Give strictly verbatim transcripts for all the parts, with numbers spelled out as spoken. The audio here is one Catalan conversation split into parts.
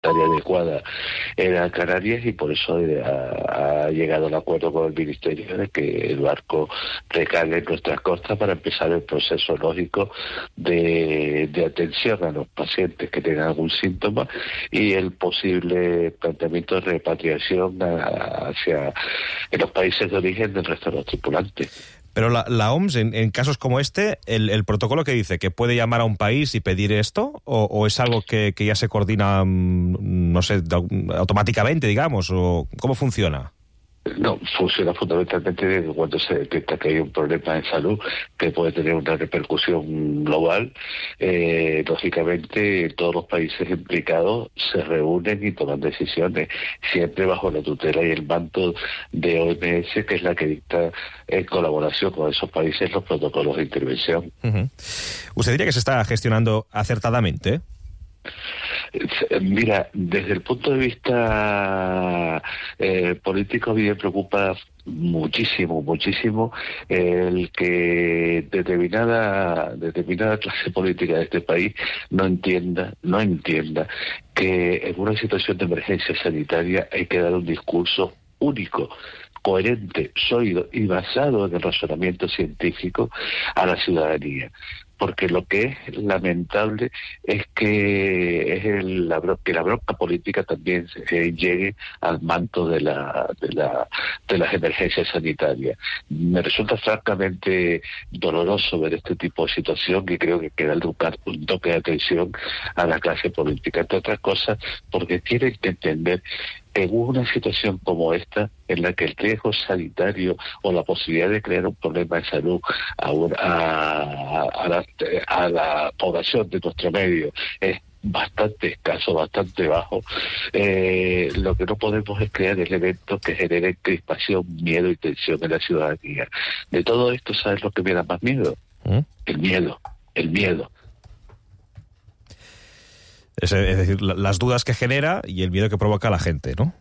sanitaria adecuada era Canarias, y por eso ha, ha llegado al acuerdo con el Ministerio de que el barco recale en nuestras costas para empezar el proceso lógico de, de atención a los pacientes que tengan algún síntoma y el posible planteamiento de repatriación a, hacia en los países de origen del resto de los tripulantes. Pero la, la O M S, en, en casos como este, el, el protocolo que dice que puede llamar a un país y pedir esto, o, o es algo que, que ya se coordina, no sé, automáticamente, digamos, o ¿cómo funciona? No, funciona fundamentalmente cuando se detecta que hay un problema de salud que puede tener una repercusión global. Eh, lógicamente, todos los países implicados se reúnen y toman decisiones, siempre bajo la tutela y el manto de O M S, que es la que dicta en colaboración con esos países los protocolos de intervención. Uh-huh. ¿Usted diría que se está gestionando acertadamente? Mira, desde el punto de vista eh, político, a mí me preocupa muchísimo, muchísimo el que determinada determinada clase política de este país no entienda, no entienda que en una situación de emergencia sanitaria hay que dar un discurso único, coherente, sólido y basado en el razonamiento científico a la ciudadanía. Porque lo que es lamentable es que es el, la, que la bronca política también eh, llegue al manto de la, de la de las emergencias sanitarias. Me resulta francamente doloroso ver este tipo de situación y creo que hay que darle un, un toque de atención a la clase política, entre otras cosas, porque tienen que entender que en una situación como esta, en la que el riesgo sanitario o la posibilidad de crear un problema de salud a, una, a, a, la, a la población de nuestro medio es bastante escaso, bastante bajo, eh, lo que no podemos es crear elementos que generen crispación, miedo y tensión en la ciudadanía. De todo esto, ¿sabes lo que me da más miedo? ¿Mm? El miedo, el miedo. Es, es decir, las dudas que genera y el miedo que provoca a la gente, ¿no?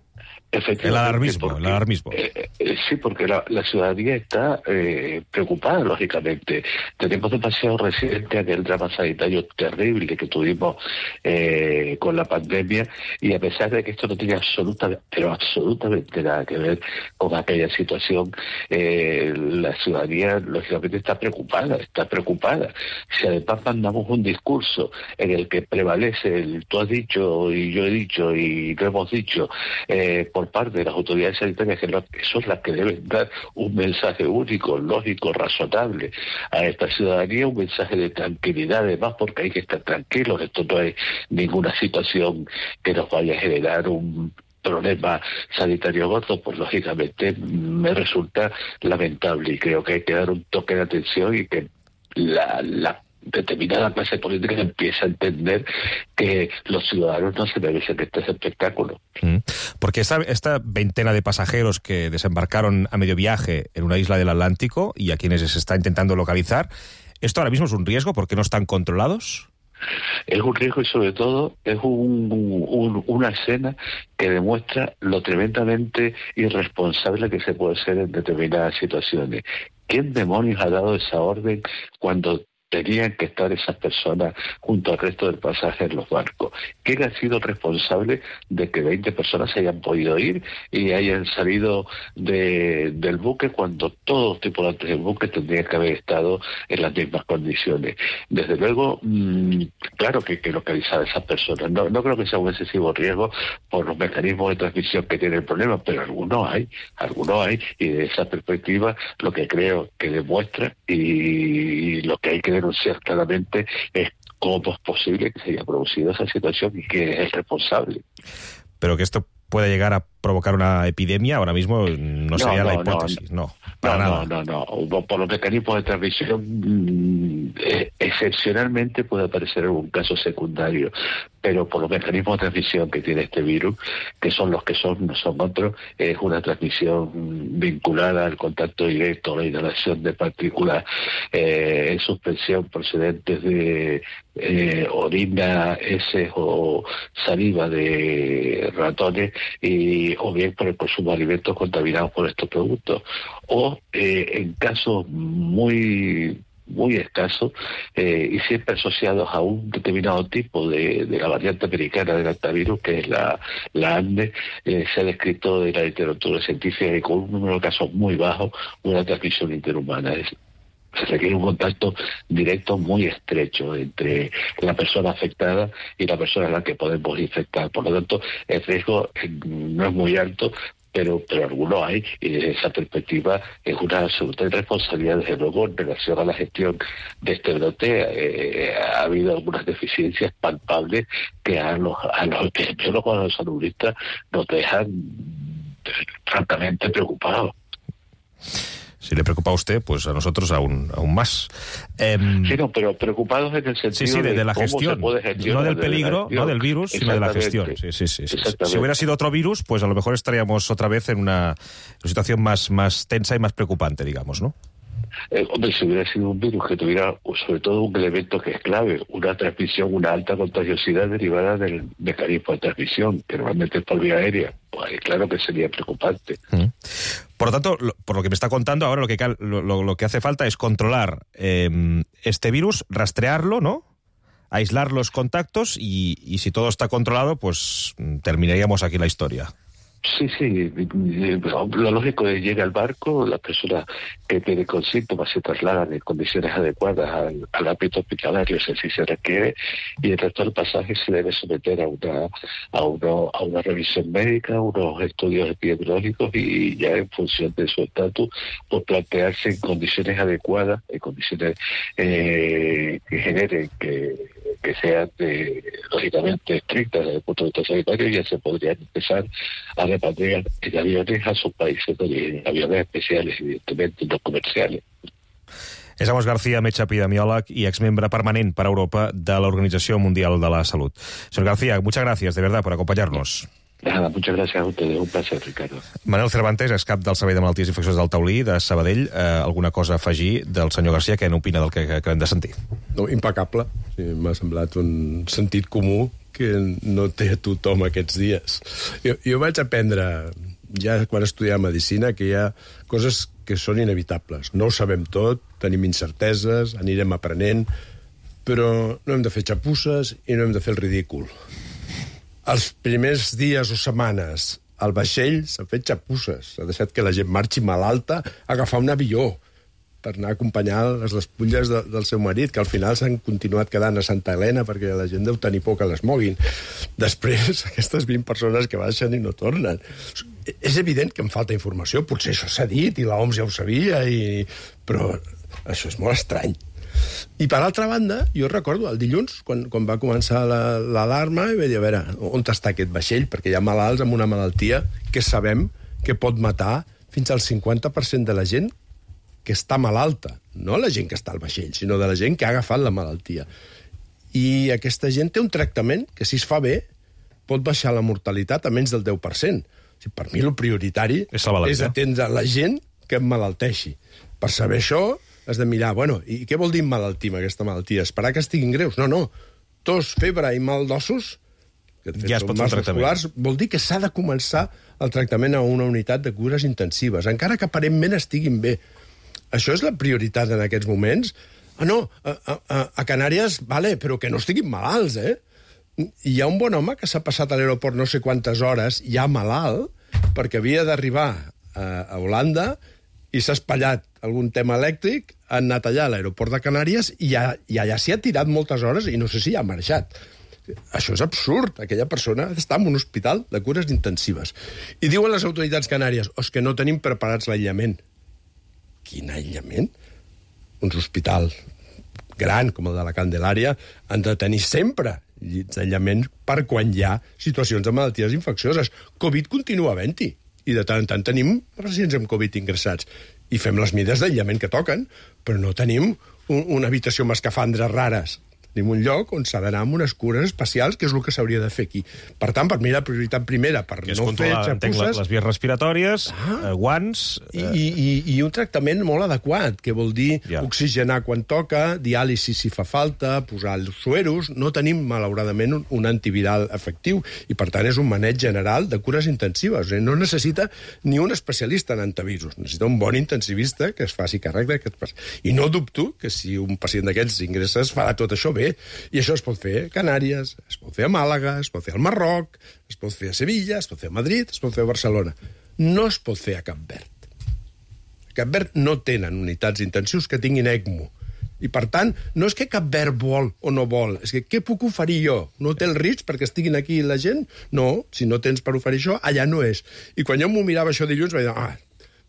El alarmismo, porque, el alarmismo. Eh, eh, sí, porque la, la ciudadanía está eh, preocupada, lógicamente. Tenemos demasiado reciente aquel drama sanitario terrible que tuvimos eh, con la pandemia, y a pesar de que esto no tiene absolutamente, pero absolutamente nada que ver con aquella situación, eh, la ciudadanía, lógicamente, está preocupada, está preocupada. Si además mandamos un discurso en el que prevalece el tú has dicho y yo he dicho y lo hemos dicho, eh, por parte de las autoridades sanitarias, que son las que deben dar un mensaje único, lógico, razonable a esta ciudadanía, un mensaje de tranquilidad, además, porque hay que estar tranquilos. Esto no es ninguna situación que nos vaya a generar un problema sanitario gordo, pues lógicamente me resulta lamentable, y creo que hay que dar un toque de atención y que la, la determinada clase política empieza a entender que los ciudadanos no se merecen este espectáculo. Mm. Porque esta, esta veintena de pasajeros que desembarcaron a medio viaje en una isla del Atlántico y a quienes se está intentando localizar, ¿esto ahora mismo es un riesgo porque no están controlados? Es un riesgo, y sobre todo es un, un, una escena que demuestra lo tremendamente irresponsable que se puede ser en determinadas situaciones. ¿Quién demonios ha dado esa orden cuando tenían que estar esas personas junto al resto del pasaje en los barcos? ¿Quién ha sido responsable de que veinte personas se hayan podido ir y hayan salido de, del buque cuando todos los tripulantes del buque tendrían que haber estado en las mismas condiciones? Desde luego, mmm, claro que hay que localizar a esas personas. No, no creo que sea un excesivo riesgo por los mecanismos de transmisión que tiene el problema, pero algunos hay, algunos hay, y de esa perspectiva lo que creo que demuestra y lo que hay que denunciar claramente es cómo es posible que se haya producido esa situación y que es el responsable. Pero que esto puede llegar a provocar una epidemia, ahora mismo no, no sería no, la hipótesis, no, no para no, nada. No, no, no, por los mecanismos de transmisión, eh, excepcionalmente puede aparecer algún caso secundario, pero por los mecanismos de transmisión que tiene este virus, que son los que son, no son otros, es una transmisión vinculada al contacto directo, a la inhalación de partículas eh, en suspensión procedentes de eh, orina, heces o saliva de ratones, y o bien por el consumo de alimentos contaminados por estos productos, o eh, en casos muy muy escasos eh, y siempre asociados a un determinado tipo de, de la variante americana del hantavirus, que es la, la ANDE. Eh, se ha descrito en la literatura científica que con un número de casos muy bajo, una transmisión interhumana. Es, se requiere un contacto directo muy estrecho entre la persona afectada y la persona a la que podemos infectar. Por lo tanto, el riesgo no es muy alto, pero pero alguno hay, y desde esa perspectiva es una absoluta irresponsabilidad. Desde luego, en relación a la gestión de este brote, eh, ha habido algunas deficiencias palpables que a los, a los epidemiólogos, a los saludistas, nos dejan francamente preocupados. Si le preocupa a usted, pues a nosotros aún aún más. Eh, sí, no, pero preocupados en el sentido sí, sí, de, de la cómo gestión, se puede gestionar, no del peligro, de no del virus, sino de la gestión. Sí, sí, sí, sí. Si hubiera sido otro virus, pues a lo mejor estaríamos otra vez en una situación más, más tensa y más preocupante, digamos, ¿no? Eh, hombre, si hubiera sido un virus que tuviera, sobre todo, un elemento que es clave, una transmisión, una alta contagiosidad derivada del mecanismo de transmisión, que normalmente es por vía aérea, pues claro que sería preocupante. Mm. Por lo tanto, lo, por lo que me está contando, ahora lo que, lo, lo, lo que hace falta es controlar eh, este virus, rastrearlo, ¿no? Aislar los contactos y, y si todo está controlado, pues terminaríamos aquí la historia. Sí, sí, lo lógico es que llega al barco, las personas que tienen con síntomas se trasladan en condiciones adecuadas al, al ámbito hospitalario, si así se requiere, y el resto del pasaje se debe someter a una a uno, a una revisión médica, unos estudios epidemiológicos, y ya en función de su estatus, pues plantearse en condiciones adecuadas, en condiciones eh, que generen que que sean eh, lógicamente estrictas desde el punto de vista sanitario, ya se podrían empezar a repatriar en aviones a sus países de origen, aviones especiales, evidentemente, no comerciales. És Amos García, metge epidemiòleg i exmembre permanent per Europa de la Organización Mundial de la Salud. Señor García, muchas gracias, de verdad, por acompañarnos. Nada, muchas gracias a ustedes, un placer, Ricardo. Manuel Cervantes, és cap del Servei de Malalties Infeccioses del Taulí, de Sabadell. Eh, alguna cosa a afegir del senyor García, que n'opina del que acabem de sentir? No, impecable. Sí, m'ha semblat un sentit comú que no té tothom aquests dies. Jo, jo vaig aprendre, ja quan estudiava Medicina, que hi ha coses que són inevitables. No ho sabem tot, tenim incerteses, anirem aprenent, però no hem de fer xapusses i no hem de fer el ridícul. Els primers dies o setmanes al vaixell s'han fet xapusses. S'ha deixat que la gent marxi malalta a agafar un avió per anar a acompanyar les despulles de, del seu marit, que al final s'han continuat quedant a Santa Helena perquè la gent deu tenir por que les moguin. Després, aquestes vint persones que baixen i no tornen. És evident que em falta informació, potser això s'ha dit i l'O M S ja ho sabia, i... però això és molt estrany. I per altra banda, jo recordo el dilluns, quan, quan va començar l'alarma, la, i vaig dir, a veure, on està aquest vaixell? Perquè hi ha malalts amb una malaltia que sabem que pot matar fins al cinquanta per cent de la gent que està malalta. No la gent que està al vaixell, sinó de la gent que ha agafat la malaltia. I aquesta gent té un tractament que, si es fa bé, pot baixar la mortalitat a menys del deu per cent. O sigui, per mi el prioritari és, és atendre la gent que emmalalteixi. Per saber això, has de mirar, bueno, i què vol dir emmalaltir amb aquesta malaltia? Esperar que estiguin greus? No, no. Tos, febre i mal d'ossos, que de fet ja són mals musculars, vol dir que s'ha de començar el tractament a una unitat de cures intensives, encara que aparentment estiguin bé. Això és la prioritat en aquests moments? Ah, no, a, a, a Canàries, vale, però que no estiguin malalts, eh? Hi ha un bon home que s'ha passat a l'aeroport no sé quantes hores, ja malalt, perquè havia d'arribar a, a Holanda i s'ha espatllat algun tema elèctric, ha anat allà a l'aeroport de Canàries i, ja, i allà s'hi ha tirat moltes hores i no sé si ja ha marxat. Això és absurd. Aquella persona està en un hospital de cures intensives. I diuen les autoritats canàries, oh, és que no tenim preparats l'aïllament. Quin aïllament? Uns hospitals grans, com el de la Candelària, han de tenir sempre llits d'aïllament per quan hi ha situacions de malalties infeccioses. Covid continua havent-hi. I de tant en tant tenim pacients amb Covid ingressats. I fem les mides d'aïllament que toquen, però no tenim un, una habitació amb escafandres rares. Tenim un lloc on s'ha d'anar amb unes cures especials, que és el que s'hauria de fer aquí. Per tant, per mi la prioritat primera, per que és no fer xapusses... les vies respiratòries, ah, eh, guants... I, eh... i, i, I un tractament molt adequat, que vol dir ja. oxigenar quan toca, diàlisi si fa falta, posar els sueros... No tenim, malauradament, un, un antiviral efectiu, i per tant és un maneig general de cures intensives. No necessita ni un especialista en antivirus, necessita un bon intensivista que es faci càrrec d'aquest pacient. I no dubto que si un pacient d'aquests ingressa es farà tot això bé. I això es pot fer a Canàries, es pot fer a Màlaga, es pot fer al Marroc, es pot fer a Sevilla, es pot fer a Madrid, es pot fer a Barcelona. No es pot fer a Cap Verd. A Cap Verd no tenen unitats intensius que tinguin ECMO. I, per tant, no és que Cap Verd vol o no vol, és que què puc oferir jo? No té el risc perquè estiguin aquí la gent? No, si no tens per oferir això, allà no és. I quan jo m'ho mirava això dilluns, vaig dir, ah,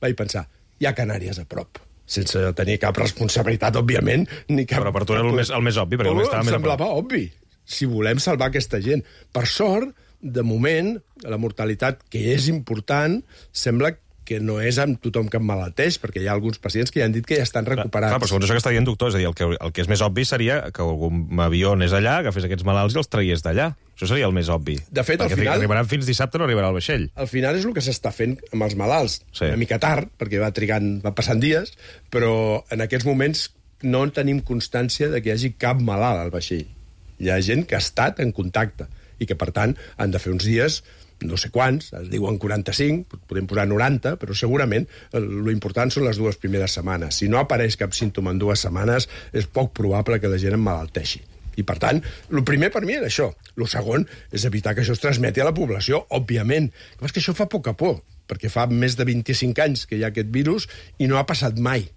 vaig pensar, hi ha Canàries a prop, sense tenir cap responsabilitat, òbviament, ni cap... Però per tu era el més, el més obvi, perquè el més estava més... Em semblava obvi, si volem salvar aquesta gent. Per sort, de moment, la mortalitat, que és important, sembla que no és amb tothom que emmalalteix, perquè hi ha alguns pacients que ja han dit que ja estan recuperats. Clar, però segons això que està dient doctor, és a dir, el que, el que és més obvi seria que algun avió anés allà, agafés aquests malalts i els traiés d'allà. Això seria el més obvi. De fet, perquè al final... arribaran fins dissabte, no arribarà el vaixell. Al final és el que s'està fent amb els malalts. Sí. Una mica tard, perquè va trigant, va passant dies, però en aquests moments no tenim constància de que hi hagi cap malalt al vaixell. Hi ha gent que ha estat en contacte i que, per tant, han de fer uns dies, no sé quants, es diuen quaranta-cinc, podem posar noranta, però segurament l'important són les dues primeres setmanes. Si no apareix cap símptoma en dues setmanes, és poc probable que la gent emmalalteixi. I, per tant, el primer per mi era això. El segon és evitar que això es transmeti a la població, òbviament. És que això fa poca por, perquè fa més de vint-i-cinc anys que hi ha aquest virus i no ha passat mai.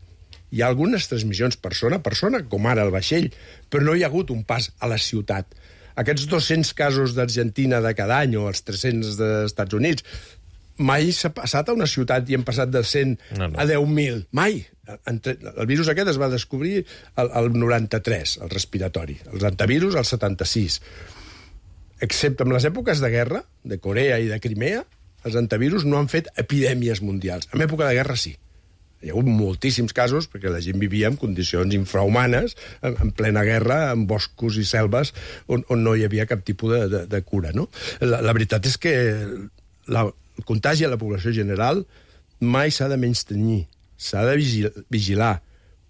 Hi ha algunes transmissions persona a persona, com ara el vaixell, però no hi ha hagut un pas a la ciutat. Aquests dos-cents casos d'Argentina de cada any o els tres-cents dels Estats Units, mai s'ha passat a una ciutat i hem passat de cent no, no. a deu mil. Mai. El virus aquest es va descobrir al noranta-tres, el respiratori. Els antivirus, al setanta-sis. Excepte en les èpoques de guerra, de Corea i de Crimea, els antivirus no han fet epidèmies mundials. En època de guerra sí. Hi ha hagut moltíssims casos, perquè la gent vivia en condicions infrahumanes, en, en plena guerra, en boscos i selves, on, on no hi havia cap tipus de, de, de cura, no? La, la veritat és que la, el contagi a la població general mai s'ha de menystenir, s'ha de vigilar, vigilar,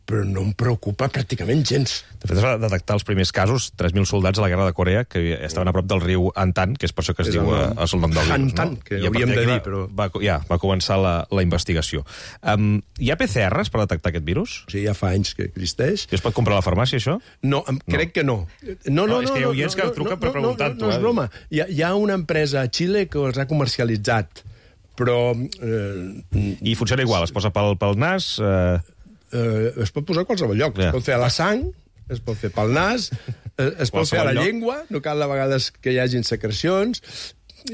però no em preocupa pràcticament gens. De fet, es va detectar els primers casos, tres mil soldats a la guerra de Corea, que estaven a prop del riu Antan, que és per això que es és diu el, el nom del virus. Antan, no? que I hauríem de dir, però... Va, ja, va començar la, la investigació. Um, hi ha P C Rs per detectar aquest virus? Sí, ja fa anys que existeix. I es pot comprar a la farmàcia, això? No, em, crec no. que no. No, no, no, és que hi ha oients no, que truquen no, per preguntar-t'ho. No, no, no, no és broma. Hi ha, hi ha una empresa a Xile que els ha comercialitzat, però... Eh, I funciona igual, es posa pel, pel nas... Eh... Eh, es pot posar a qualsevol lloc. Yeah. Es pot fer a la sang, es pot fer pel nas, es pot fer a la lloc. llengua, no cal a vegades que hi hagin secrecions,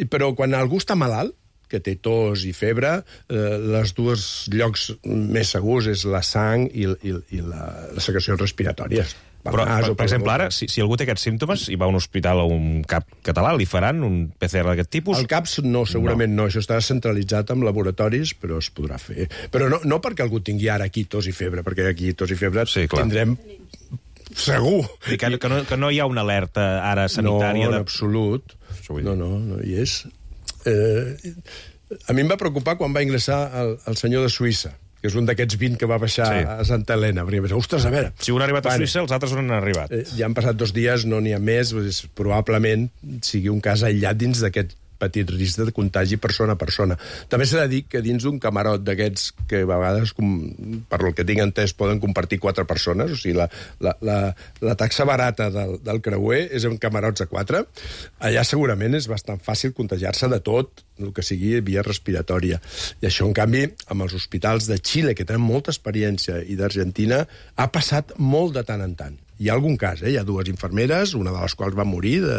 però quan algú està malalt, que té tos i febre, eh, els dos llocs més segurs és la sang i, i, i la, les secrecions respiratòries. Però, per, per exemple, ara, si, si algú té aquests símptomes i va a un hospital o un cap català, li faran un P C R d'aquest tipus? El CAP no, segurament no. no. Això està centralitzat amb laboratoris, però es podrà fer. Però no, no perquè algú tingui ara aquí tos i febre, perquè aquí tos i febre sí, tindrem segur. I que, que, no, que no hi ha una alerta ara sanitària? No, en de... absolut. No, no, no hi és. Eh, a mi em va preocupar quan va ingressar el, el senyor de Suïssa, que és un d'aquests vint que va baixar sí. a Santa Helena. Perquè pensar, ostres, a veure... Si un ha arribat a Suïssa, els altres on han arribat. Eh, ja han passat dos dies, no n'hi ha més, doncs, probablement sigui un cas aïllat dins d'aquest petit risc de contagi persona a persona. També s'ha de dir que dins d'un camarot d'aquests que a vegades, com, per el que tinc entès, poden compartir quatre persones, o sigui, la, la, la, la taxa barata del, del creuer és en camarots a quatre, allà segurament és bastant fàcil contagiar-se de tot, el que sigui via respiratòria. I això, en canvi, amb els hospitals de Xile, que tenen molta experiència, i d'Argentina, ha passat molt de tant en tant. Hi ha algun cas, eh? Hi ha dues infermeres, una de les quals va morir de,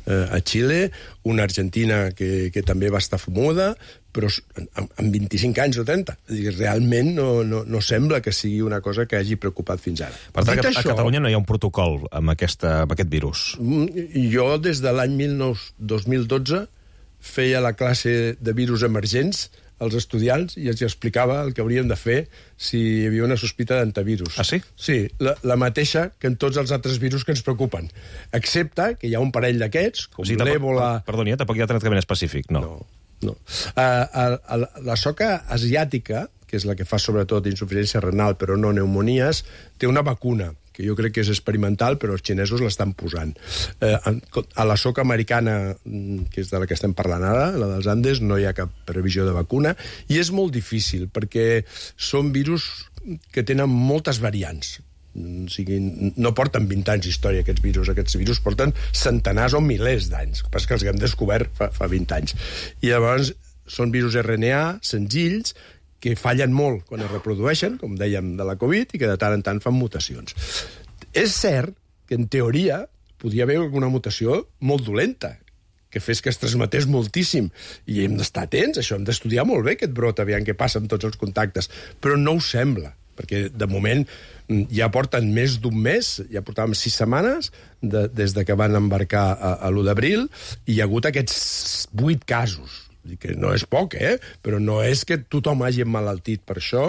eh, a Xile, una argentina que, que també va estar fumuda, però amb, amb vint-i-cinc anys o trenta. És dir, realment no, no, no sembla que sigui una cosa que hagi preocupat fins ara. Per tant, a, això, a Catalunya no hi ha un protocol amb, aquesta, amb aquest virus? Jo, des de l'any dos mil dotze, feia la classe de virus emergents als estudiants i els explicava el que haurien de fer si hi havia una sospita d'antivirus. Ah, sí? Sí, la, la mateixa que en tots els altres virus que ens preocupen, excepte que hi ha un parell d'aquests, com o sigui, l'èbola... Perdoni, tampoc hi ha tractament específic, no. No, no. Uh, uh, uh, la soca asiàtica, que és la que fa sobretot insuficiència renal, però no pneumonies, té una vacuna, que jo crec que és experimental, però els xinesos l'estan posant. Eh, a la soca americana, que és de la que estem parlant ara, la dels Andes, no hi ha cap previsió de vacuna, i és molt difícil, perquè són virus que tenen moltes variants. O sigui, no porten vint anys d'història, aquests virus. Aquests virus porten centenars o milers d'anys. El que passa és que els hem descobert fa, fa vint anys. I llavors són virus R N A senzills, que fallen molt quan es reprodueixen, com dèiem de la Covid, i que de tant en tant fan mutacions. És cert que, en teoria, podia haver alguna mutació molt dolenta, que fes que es transmetés moltíssim. I hem d'estar atents, això, hem d'estudiar molt bé aquest brot, aviam què passa amb tots els contactes. Però no ho sembla, perquè, de moment, ja porten més d'un mes, ja portàvem sis setmanes, de, des de que van embarcar a, a l'u d'abril, i hi ha hagut aquests vuit casos. Que no és poc, eh? Però no és que tothom hagi emmalaltit per això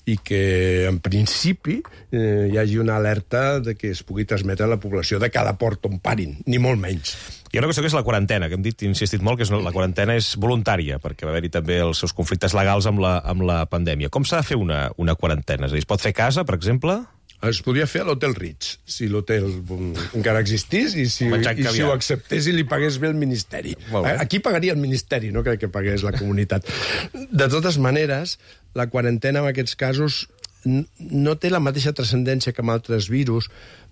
i que, en principi, eh, hi hagi una alerta de que es pugui transmetre a la població de cada port on parin, ni molt menys. Hi ha una qüestió que és la quarantena, que hem dit, insistit molt, que és la quarantena és voluntària, perquè va haver-hi també els seus conflictes legals amb la, amb la pandèmia. Com s'ha de fer una, una quarantena? És a dir, es pot fer a casa, per exemple? Es podria fer a l'Hotel Ritz, si l'hotel encara existís i si, i si ho acceptés i li pagués bé el Ministeri. Aquí pagaria el Ministeri, no crec que pagués la comunitat. De totes maneres, la quarantena en aquests casos no té la mateixa transcendència que amb altres virus,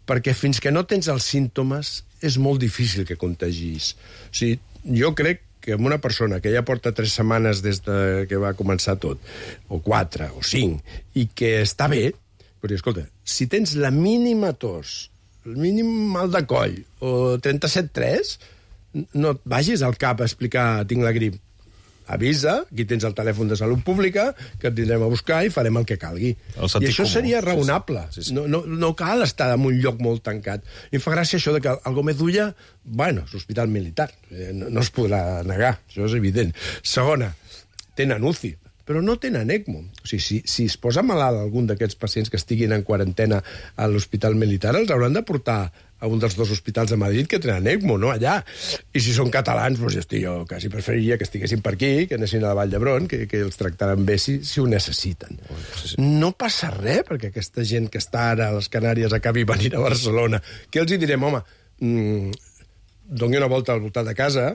perquè fins que no tens els símptomes és molt difícil que contagis. O sigui, jo crec que amb una persona que ja porta tres setmanes des de que va començar tot, o quatre, o cinc, i que està bé, però, escolta, si tens la mínima tos, el mínim mal de coll, o trenta-set tres, no et vagis al cap a explicar tinc la grip. Avisa, aquí tens el telèfon de Salut Pública, que et anirem a buscar i farem el que calgui. El I això comú. Seria raonable. Sí, sí. Sí, sí. No, no, no cal estar en un lloc molt tancat. I em fa gràcia això de que el Gómez d'Ulla, bueno, és l'hospital militar, no, no es podrà negar, això és evident. Segona, tenen U C I, però no tenen ECMO. O sigui, si, si es posa malalt algun d'aquests pacients que estiguin en quarantena a l'hospital militar, els hauran de portar a un dels dos hospitals de Madrid que tenen ECMO, no allà. I si són catalans, doncs jo, estic, jo quasi preferiria que estiguessin per aquí, que anessin a la Vall d'Hebron, que, que els tractaran bé si, si ho necessiten. Sí, sí. No passa res perquè aquesta gent que està ara a les Canàries acabi venint a Barcelona. Què els hi direm? Home, mmm, doni una volta al voltant de casa,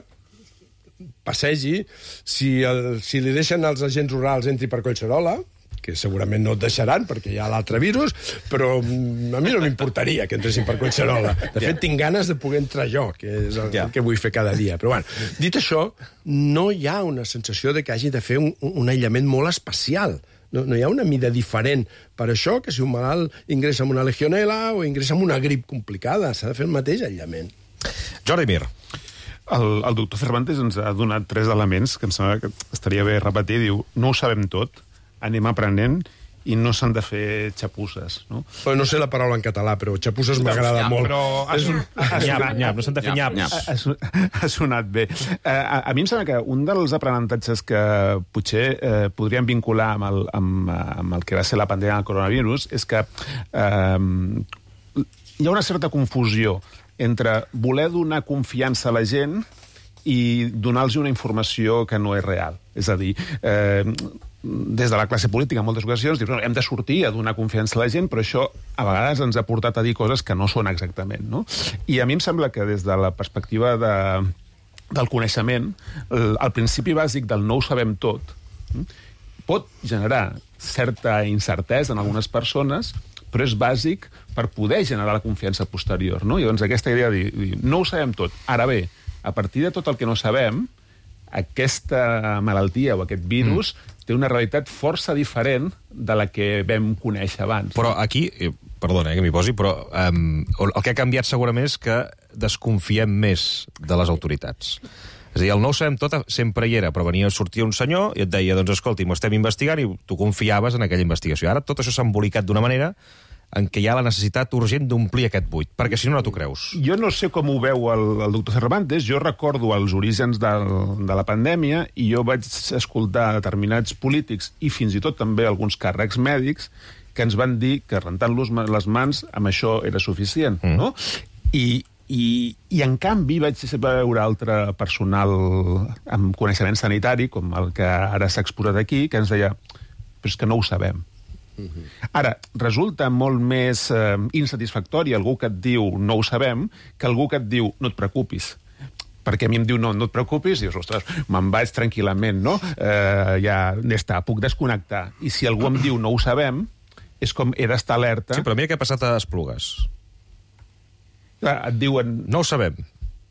passegi, si, el, si li deixen els agents rurals entri per Collserola, que segurament no et deixaran perquè hi ha l'altre virus, però a mi no m'importaria que entressin per Collserola. De fet, tinc ganes de poder entrar jo, que és el, el que vull fer cada dia. Però, bueno, dit això, no hi ha una sensació de que hagi de fer un, un aïllament molt especial. No, no hi ha una mida diferent per això que si un malalt ingressa amb una legionela o ingressa amb una grip complicada. S'ha de fer el mateix aïllament. Jordi Mir. El, el doctor Cervantes ens ha donat tres elements que em sembla que estaria bé repetir. Diu, no ho sabem tot, anem aprenent i no s'han de fer xapusses. No, però no sé la paraula en català, però xapusses m'agrada nyap, molt. Però ha, son, ha, nyap, nyap, no s'han de fer nyap. nyap. Ha, ha sonat bé. Eh, a, a mi em sembla que un dels aprenentatges que potser eh, podríem vincular amb el, amb, amb el que va ser la pandèmia del coronavirus és que eh, hi ha una certa confusió entre voler donar confiança a la gent i donar-los una informació que no és real. És a dir, eh, des de la classe política en moltes ocasions dius, no, hem de sortir a donar confiança a la gent, però això a vegades ens ha portat a dir coses que no són exactament, no? I a mi em sembla que des de la perspectiva de, del coneixement, el, el principi bàsic del no ho sabem tot pot generar certa incertesa en algunes persones, però és bàsic per poder generar la confiança posterior, no? I llavors aquesta idea de dir, no ho sabem tot. Ara bé, a partir de tot el que no sabem, aquesta malaltia o aquest virus mm. té una realitat força diferent de la que vam conèixer abans. Però aquí, eh, perdona eh, que m'hi posi, però um, el que ha canviat segurament és que desconfiem més de les autoritats. És a dir, el no ho sabem tot sempre hi era, però venia a sortir un senyor i et deia, doncs escolti, m'ho estem investigant, i tu confiaves en aquella investigació. Ara tot això s'ha embolicat d'una manera en què hi ha la necessitat urgent d'omplir aquest buit? Perquè si no, no t'ho creus. Jo no sé com ho veu el, el doctor Cervantes. Jo recordo els orígens del, de la pandèmia i jo vaig escoltar determinats polítics i fins i tot també alguns càrrecs mèdics que ens van dir que rentant-los les mans amb això era suficient, mm. no? I, i, I, en canvi, vaig veure altre personal amb coneixement sanitari, com el que ara s'ha exposat aquí, que ens deia, però és que no ho sabem. Mm-hmm. Ara, resulta molt més eh, insatisfactori algú que et diu no ho sabem que algú que et diu no et preocupis. Perquè a mi em diu no, no et preocupis, i dius, ostres, me'n vaig tranquil·lament, no? Eh, ja, ja està, puc desconnectar. I si algú em diu no ho sabem, és com he d'estar alerta. Sí, però mira què ha passat a Esplugues. Et diuen... No ho sabem.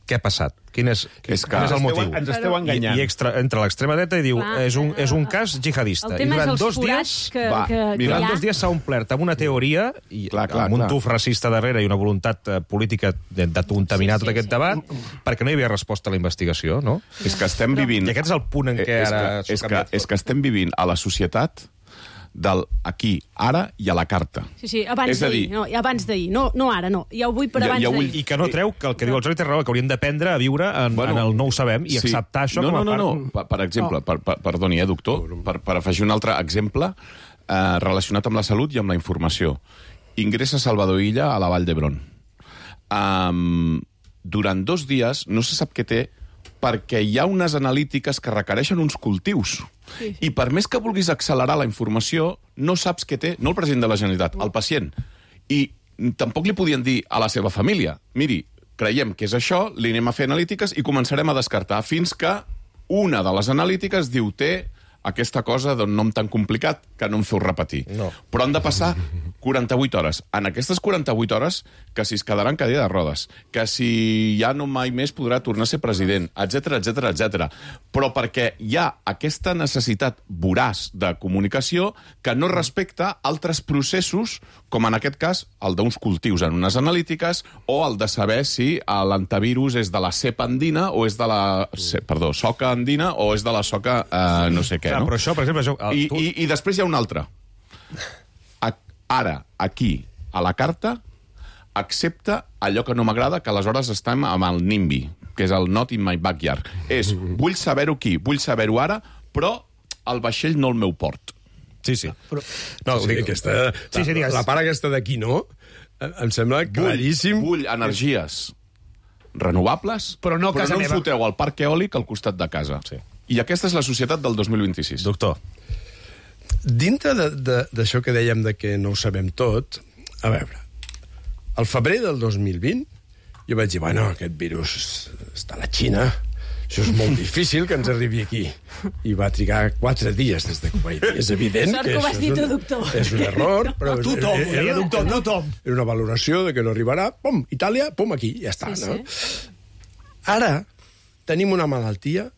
Què ha passat? Quin és, quin, és, quin és el motiu? Ens esteu enganyant. I, i extra, entre l'extrema dreta i diu Clar, és un, és un cas jihadista. El tema I durant és els dos forats dies, que, va, que, que durant hi ha. dos dies s'ha omplert amb una teoria i clar, clar, amb un clar. tuf racista darrere i una voluntat uh, política de, de contaminar Sí, sí, tot aquest sí. debat perquè no hi havia resposta a la investigació, no? És que estem vivint... I aquest és el punt en què és ara que, és, que, és que estem vivint a la societat del aquí, ara i a la carta. Sí, sí, abans d'ahir, no, abans d'ahir, no, no ara, no, ja ho vull per Ja- abans ja vull- d'ahir. I que no treu que el que diu el Jordi té raó, que hauríem d'aprendre a viure en, Bueno, en el no ho sabem i acceptar això no, com a no, no, part... No, per, per exemple, per, per, perdoni, eh, doctor, per, per afegir un altre exemple eh, relacionat amb la salut i amb la informació. Ingressa Salvador Illa a la Vall d'Hebron. Um, durant dos dies no se sap què té perquè hi ha unes analítiques que requereixen uns cultius. Sí. I per més que vulguis accelerar la informació, no saps què té, no el president de la Generalitat, el pacient. I tampoc li podien dir a la seva família, miri, creiem que és això, li anem a fer analítiques i començarem a descartar, fins que una de les analítiques diu té aquesta cosa d'un nom tan complicat que no em feu repetir. No. Però han de passar quaranta-vuit hores. En aquestes quaranta-vuit hores, que si es quedarà en cadira de rodes, que si ja no mai més podrà tornar a ser president, etc etc etc. Però perquè hi ha aquesta necessitat voraç de comunicació que no respecta altres processos, com en aquest cas el d'uns cultius en unes analítiques, o el de saber si l'antivirus és de la cepa andina o és de la... Perdó, soca andina o és de la soca eh, no sé què. Clar, No? però això, per exemple... Això, el, I, tu... i, I després hi ha un altre. A, ara, aquí, a la carta, accepta allò que no m'agrada, que aleshores estem amb el NIMBY, que és el Not in my backyard. És, vull saber-ho aquí, vull saber-ho ara, però el vaixell no el meu port. Sí, sí. Però, No, sí, dic, aquesta, Sí, sí, la, digues. la part aquesta d'aquí, no? Em sembla claríssim. Vull, vull energies renovables, Però no a però casa no em meva. foteu el parc eòlic al costat de casa. Sí. I aquesta és la societat del dos mil vint-i-sis. Doctor, Dintre d'això que dèiem de que no ho sabem tot, a veure, al febrer del dos mil vint jo vaig dir, bueno, aquest virus està a la Xina, això és molt difícil que ens arribi aquí. I va trigar quatre dies des de que ho vaig dir. És evident Sort que que ho vas això dir és tu, un, doctor. és un error, però... Tothom, ho deia, doctor, tothom. Era una valoració de que no arribarà, pum, Itàlia, pum, aquí, ja està, Sí, no? sí. Ara tenim una malaltia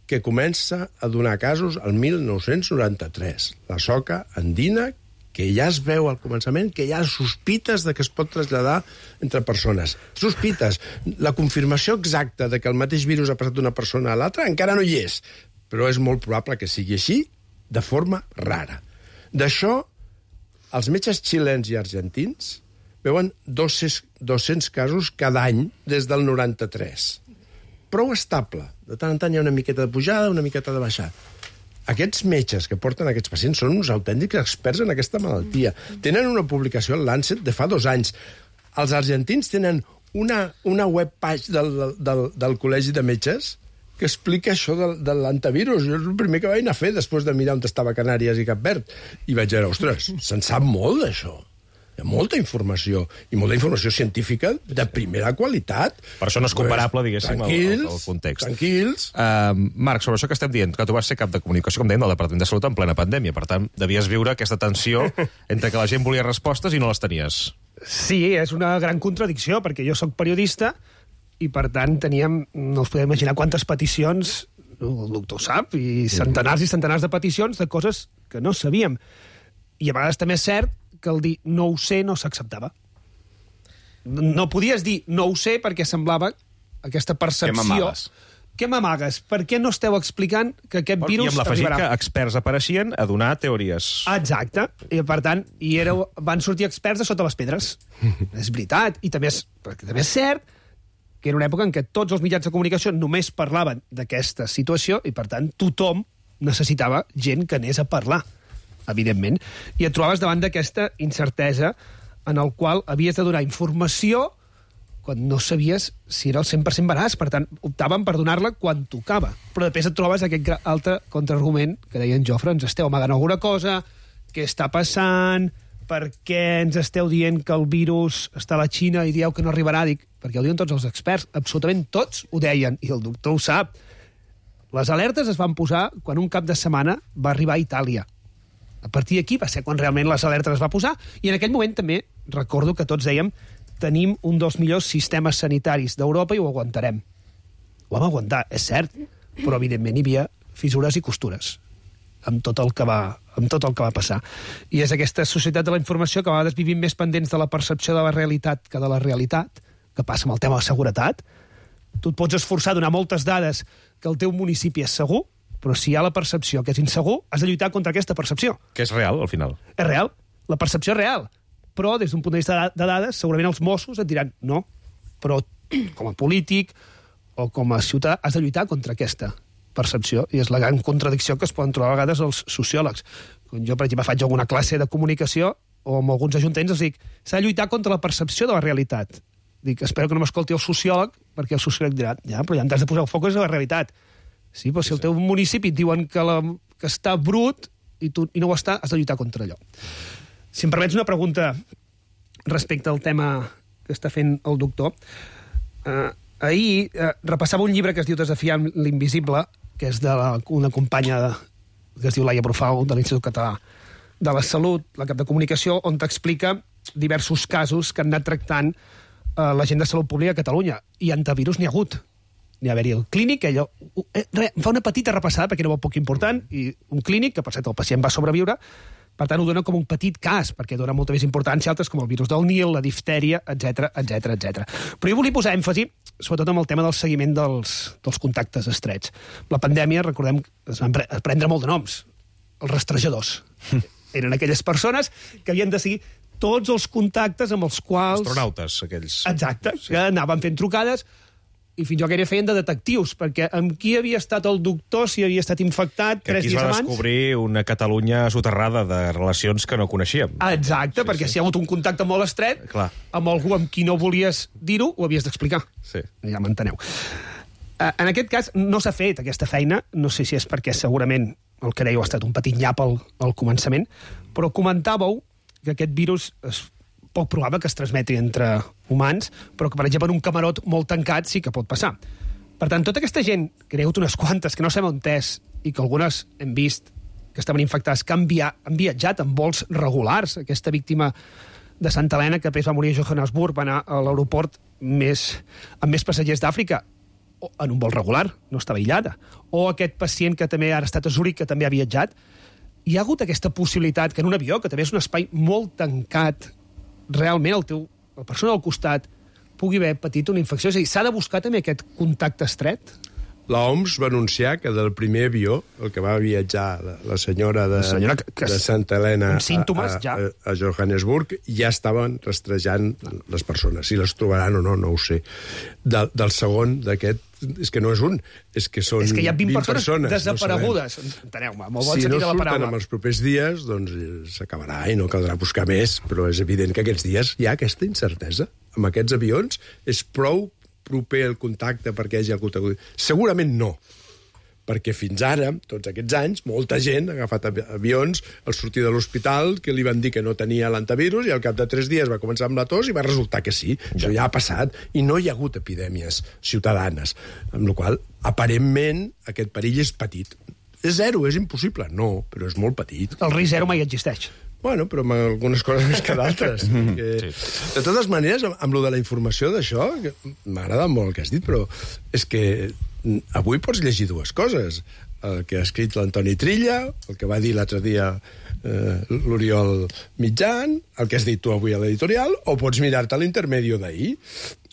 que comença a donar casos al mil nou-cents noranta-tres. La soca andina, que ja es veu al començament, que hi ha sospites de que es pot traslladar entre persones. Sospites. La confirmació exacta de que el mateix virus ha passat d'una persona a l'altra encara no hi és, però és molt probable que sigui així de forma rara. D'això, els metges xilens i argentins veuen dos-cents casos cada any des del noranta-tres. Prou estable. De tant en tant hi ha una miqueta de pujada, una miqueta de baixada. Aquests metges que porten aquests pacients són uns autèntics experts en aquesta malaltia. Tenen una publicació al Lancet de fa dos anys. Els argentins tenen una, una webpage del, del, del Col·legi de Metges que explica això de, de l'antivirus. Jo és el primer que vaig anar a fer després de mirar on estava Canàries i Cap Verd. I vaig dir, ostres, se'n sap molt d'això. Hi ha molta informació, i molta informació científica de primera qualitat. per això no és comparable, diguéssim, al, al, al context. Tranquils. Uh, Marc, sobre això que estem dient, que tu vas ser cap de comunicació, com dèiem, del Departament de Salut en plena pandèmia. Per tant, devies viure aquesta tensió entre que la gent volia respostes i no les tenies. Sí, és una gran contradicció, perquè jo sóc periodista i, per tant, teníem, no us podeu imaginar quantes peticions, el doctor sap, i centenars i centenars de peticions de coses que no sabíem. I a vegades també és cert que el dir no ho sé no s'acceptava. No podies dir no ho sé perquè semblava aquesta percepció... Que mamaves. què m'amagues? Per què no esteu explicant que aquest virus I amb l'afegit arribarà? que experts apareixien a donar teories. Exacte. I, per tant, i éreu, van sortir experts de sota les pedres. És veritat. I també és, també és cert que era una època en què tots els mitjans de comunicació només parlaven d'aquesta situació i, per tant, tothom necessitava gent que anés a parlar, evidentment. I et trobaves davant d'aquesta incertesa en el qual havies de donar informació quan no sabies si era el cent per cent veraç. Per tant, optaven per donar-la quan tocava. Però després et trobes aquest altre contraargument que deia en Jofre, ens esteu amagant alguna cosa, què està passant, per què ens esteu dient que el virus està a la Xina i dieu que no arribarà? Dic, perquè ho diuen tots els experts, absolutament tots ho deien, i el doctor ho sap. Les alertes es van posar quan un cap de setmana va arribar a Itàlia. A partir d'aquí va ser quan realment les alertes es va posar, i en aquell moment també recordo que tots dèiem tenim un dels millors sistemes sanitaris d'Europa i ho aguantarem. Ho vam aguantar, és cert, però evidentment hi havia fissures i costures amb tot el que va, amb tot el que va passar. I és aquesta societat de la informació que a vegades vivim més pendents de la percepció de la realitat que de la realitat, que passa amb el tema de la seguretat. Tu et pots esforçar a donar moltes dades que el teu municipi és segur, però si hi ha la percepció que és insegur, has de lluitar contra aquesta percepció. Que és real, al final. És real. La percepció és real. Però, des d'un punt de vista de dades, segurament els Mossos et diran no. Però, com a polític o com a ciutadà, has de lluitar contra aquesta percepció. I és la gran contradicció que es poden trobar a vegades els sociòlegs. Quan jo, per exemple, faig alguna classe de comunicació o amb alguns ajuntaments, els dic, s'ha de lluitar contra la percepció de la realitat. Dic, espero que no m'escolti el sociòleg, perquè el sociòleg dirà, ja, però ja t'has de posar el focus a la realitat. Sí, però si el teu municipi et diuen que, la, que està brut i, tu, i no ho està, has de lluitar contra allò. Si em permets una pregunta respecte al tema que està fent el doctor. Eh, ahir eh, repassava un llibre que es diu Desafiant l'invisible, que és d'una companya de, que es diu Laia Brufau, de l'Institut Català de la Salut, la cap de comunicació, on t'explica diversos casos que han anat tractant eh, la gent de salut pública a Catalunya. I antivirus n'hi ha hagut. N'hi ha haver-hi el clínic, que allò, eh, re, fa una petita repassada, perquè era molt poc important, i un clínic, que per cert el pacient va sobreviure. Per tant, ho dona com un petit cas, perquè dona molta més importància a altres com el virus del Nil, la diftèria, etcètera, etcètera, etcètera. Però jo volia posar èmfasi, sobretot amb el tema del seguiment dels, dels contactes estrets. La pandèmia, recordem, es van prendre molt de noms. Els rastrejadors. Eren aquelles persones que havien de seguir tots els contactes amb els quals... Astronautes, aquells. Exacte, sí. Que anaven fent trucades i fins jo gairebé feien de detectius, perquè amb qui havia estat el doctor, si havia estat infectat que tres dies abans... Que aquí es va descobrir una Catalunya soterrada de relacions que no coneixíem. Exacte, sí, perquè sí. si hi ha hagut un contacte molt estret, Clar. amb algú amb qui no volies dir-ho, ho havies d'explicar. Sí. Ja m'enteneu. En aquest cas, no s'ha fet aquesta feina, no sé si és perquè segurament el que dèieu ha estat un petit nyap al, al començament, però comentàveu que aquest virus és poc probable que es transmeti entre humans, però que, per exemple, en un camarot molt tancat sí que pot passar. Per tant, tota aquesta gent, que n'hi ha hagut unes quantes, que no sabem on és, i que algunes hem vist que estaven infectades, que han, via han viatjat en vols regulars, aquesta víctima de Santa Helena, que després va morir a Johannesburg, va anar a l'aeroport més, amb més passatgers d'Àfrica, en un vol regular, no estava aïllada. O aquest pacient que també ara ha estat a Zúrich, que també ha viatjat. Hi ha hagut aquesta possibilitat que en un avió, que també és un espai molt tancat, realment el teu, la persona al costat pugui haver patit una infecció. És a dir, s'ha de buscar també aquest contacte estret? La O M S va anunciar que del primer avió, el que va viatjar la, la senyora de, la senyora que, que de Santa Helena amb símptomes, a, a, ja. a Johannesburg, ja estaven rastrejant les persones. Si les trobaran o no, no ho sé. De, del segon, d'aquest, és que no és un, és que són és que hi ha vint, vint persones, persones desaparegudes. No enteneu-me, molt bon si sentit no de la surten paraula. en els propers dies, doncs s'acabarà i no caldrà buscar més, però és evident que aquests dies hi ha aquesta incertesa. Amb aquests avions és prou proper el contacte perquè hi hagi hagut... Segurament no, perquè fins ara, tots aquests anys, molta gent ha agafat avions al sortir de l'hospital que li van dir que no tenia l'antivirus i al cap de tres dies va començar amb la tos i va resultar que sí. Ja. Això ja ha passat i no hi ha hagut epidèmies ciutadanes, amb la qual cosa, aparentment, aquest perill és petit. És zero, és impossible? No, però és molt petit. El risc zero mai existeix. Bueno, però amb algunes coses més que d'altres. que... sí. De totes maneres, amb, amb lo de la informació d'això, m'ha agradat molt el que has dit, però és que avui pots llegir dues coses. El que ha escrit l'Antoni Trilla, el que va dir l'altre dia eh, l'Oriol Mitjan, el que has dit tu avui a l'editorial, o pots mirar-te l'intermedio d'ahir.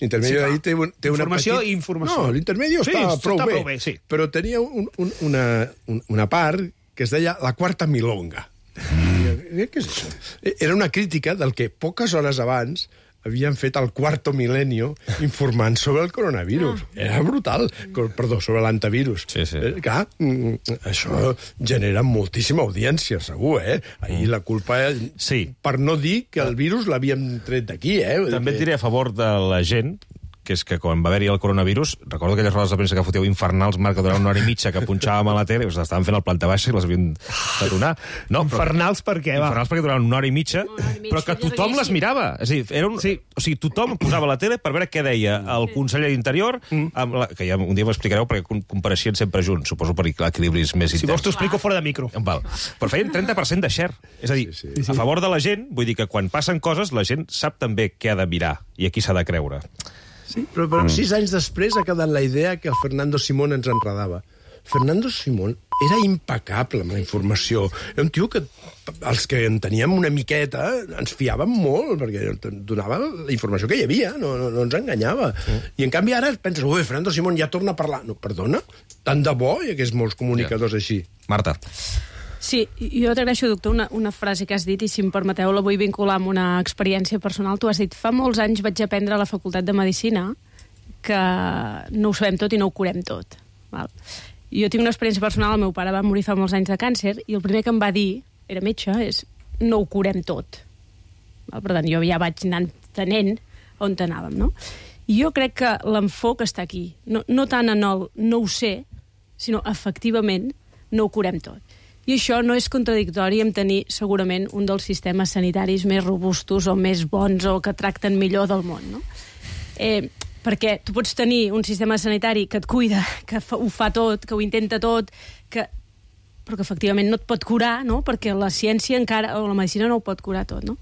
L'intermedio sí, d'ahir té, un, té una informació petit... i informació. No, l'intermedio sí, està, prou, està bé, prou bé, sí. Però tenia un, un, una, un, una part que es deia la quarta milonga. Mm. Què és això? Era una crítica del que poques hores abans havien fet el quarto milenio informant sobre el coronavirus. Ah. Era brutal. Perdó, sobre l'antivirus. Sí, sí. Eh, clar, això genera moltíssima audiència, segur, eh? Ahir la culpa... Sí. Per no dir que el virus l'havíem tret d'aquí, eh? També et diré a favor de la gent, que és que quan va haver-hi el coronavirus, recordo aquelles rodes de premsa que fotíeu infernals, Marc, que durant una hora i mitja que punxàvem a la tele, us estaven fent el planta baixa i les havien de donar. No, infernals per què, va? Infernals perquè duraven una hora i mitja, Una hora i mitja, però que jo tothom diria les sí. mirava. És a dir, era un... Sí. O sigui, tothom posava la tele per veure què deia el conseller d'Interior, amb la... que ja un dia m'explicareu perquè com- compareixien sempre junts, suposo per equilibris més Si interns. vols t'ho explico fora de micro. Val. Però feien trenta per cent de share. És a dir, sí, sí. a favor de la gent, vull dir que quan passen coses, la gent sap també què ha de mirar i a qui s'ha de creure. Sí, però, però mm. sis anys després ha quedat la idea que el Fernando Simón ens enredava. Fernando Simón era impecable amb la informació. Era un tio que els que en teníem una miqueta ens fiàvem molt, perquè donava la informació que hi havia, no, no, no ens enganyava. Mm. I en canvi ara penses, ui, Fernando Simón ja torna a parlar. No, perdona, tant de bo hi hagués molts comunicadors ja. així. Marta. Sí, jo t'agraeixo, doctor, una, una frase que has dit, i si em permeteu la vull vincular amb una experiència personal. Tu has dit, fa molts anys vaig aprendre a la Facultat de Medicina que no ho sabem tot i no ho curem tot. Val? Jo tinc una experiència personal, el meu pare va morir fa molts anys de càncer, i el primer que em va dir, era metge, és no ho curem tot. Val? Per tant, jo ja vaig anar entenent on anàvem, no? I jo crec que l'enfoc està aquí. No, no tant en el no ho sé, sinó efectivament no ho curem tot. I això no és contradictori amb tenir segurament un dels sistemes sanitaris més robustos o més bons o que tracten millor del món, no? Eh, perquè tu pots tenir un sistema sanitari que et cuida, que fa, ho fa tot, que ho intenta tot, que, però que efectivament no et pot curar, no? Perquè la ciència encara, o la medicina no ho pot curar tot, no?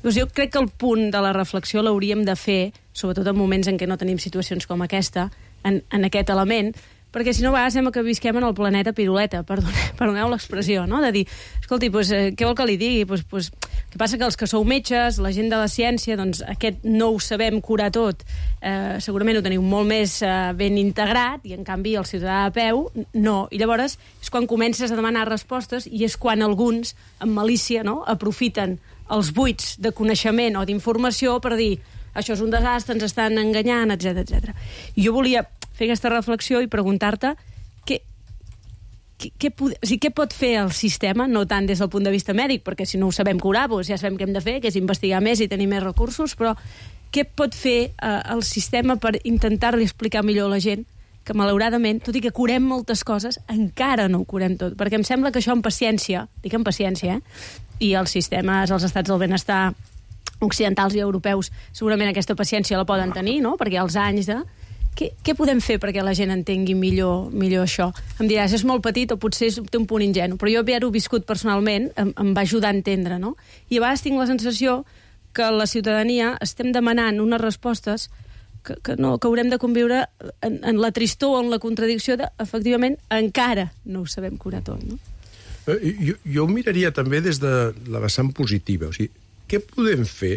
Llavors jo crec que el punt de la reflexió l'hauríem de fer, sobretot en moments en què no tenim situacions com aquesta, en, en aquest element, perquè si no a vegades sembla que visquem en el planeta piruleta, perdoneu, perdoneu l'expressió, no? De dir, escolti, pues, eh, què vol que li digui? Pues, pues, què passa que els que sou metges, la gent de la ciència, doncs aquest no ho sabem curar tot, eh, segurament ho teniu molt més eh, ben integrat, i en canvi el ciutadà a peu, no. I llavors és quan comences a demanar respostes i és quan alguns, amb malícia, no?, aprofiten els buits de coneixement o d'informació per dir això és un desastre, ens estan enganyant, etcètera, etcètera. I jo volia fer aquesta reflexió i preguntar-te què, què, què, o sigui, què pot fer el sistema, no tant des del punt de vista mèdic, perquè si no ho sabem curar, doncs ja sabem què hem de fer, que és investigar més i tenir més recursos, però què pot fer eh, el sistema per intentar-li explicar millor a la gent que, malauradament, tot i que curem moltes coses, encara no ho curem tot. Perquè em sembla que això amb paciència, dic amb paciència, eh? I els sistemes, els estats del benestar occidentals i europeus, segurament aquesta paciència la poden tenir, no?, perquè els anys de... Què, què podem fer perquè la gent entengui millor, millor això? Em diràs, és molt petit o potser és, té un punt ingenu, però jo haver-ho viscut personalment em, em va ajudar a entendre, no? I a vegades tinc la sensació que la ciutadania estem demanant unes respostes que, que, no, que haurem de conviure en, en la tristor o en la contradicció de, efectivament, encara no ho sabem curar tot, no? Jo, jo ho miraria també des de la vessant positiva. O sigui, què podem fer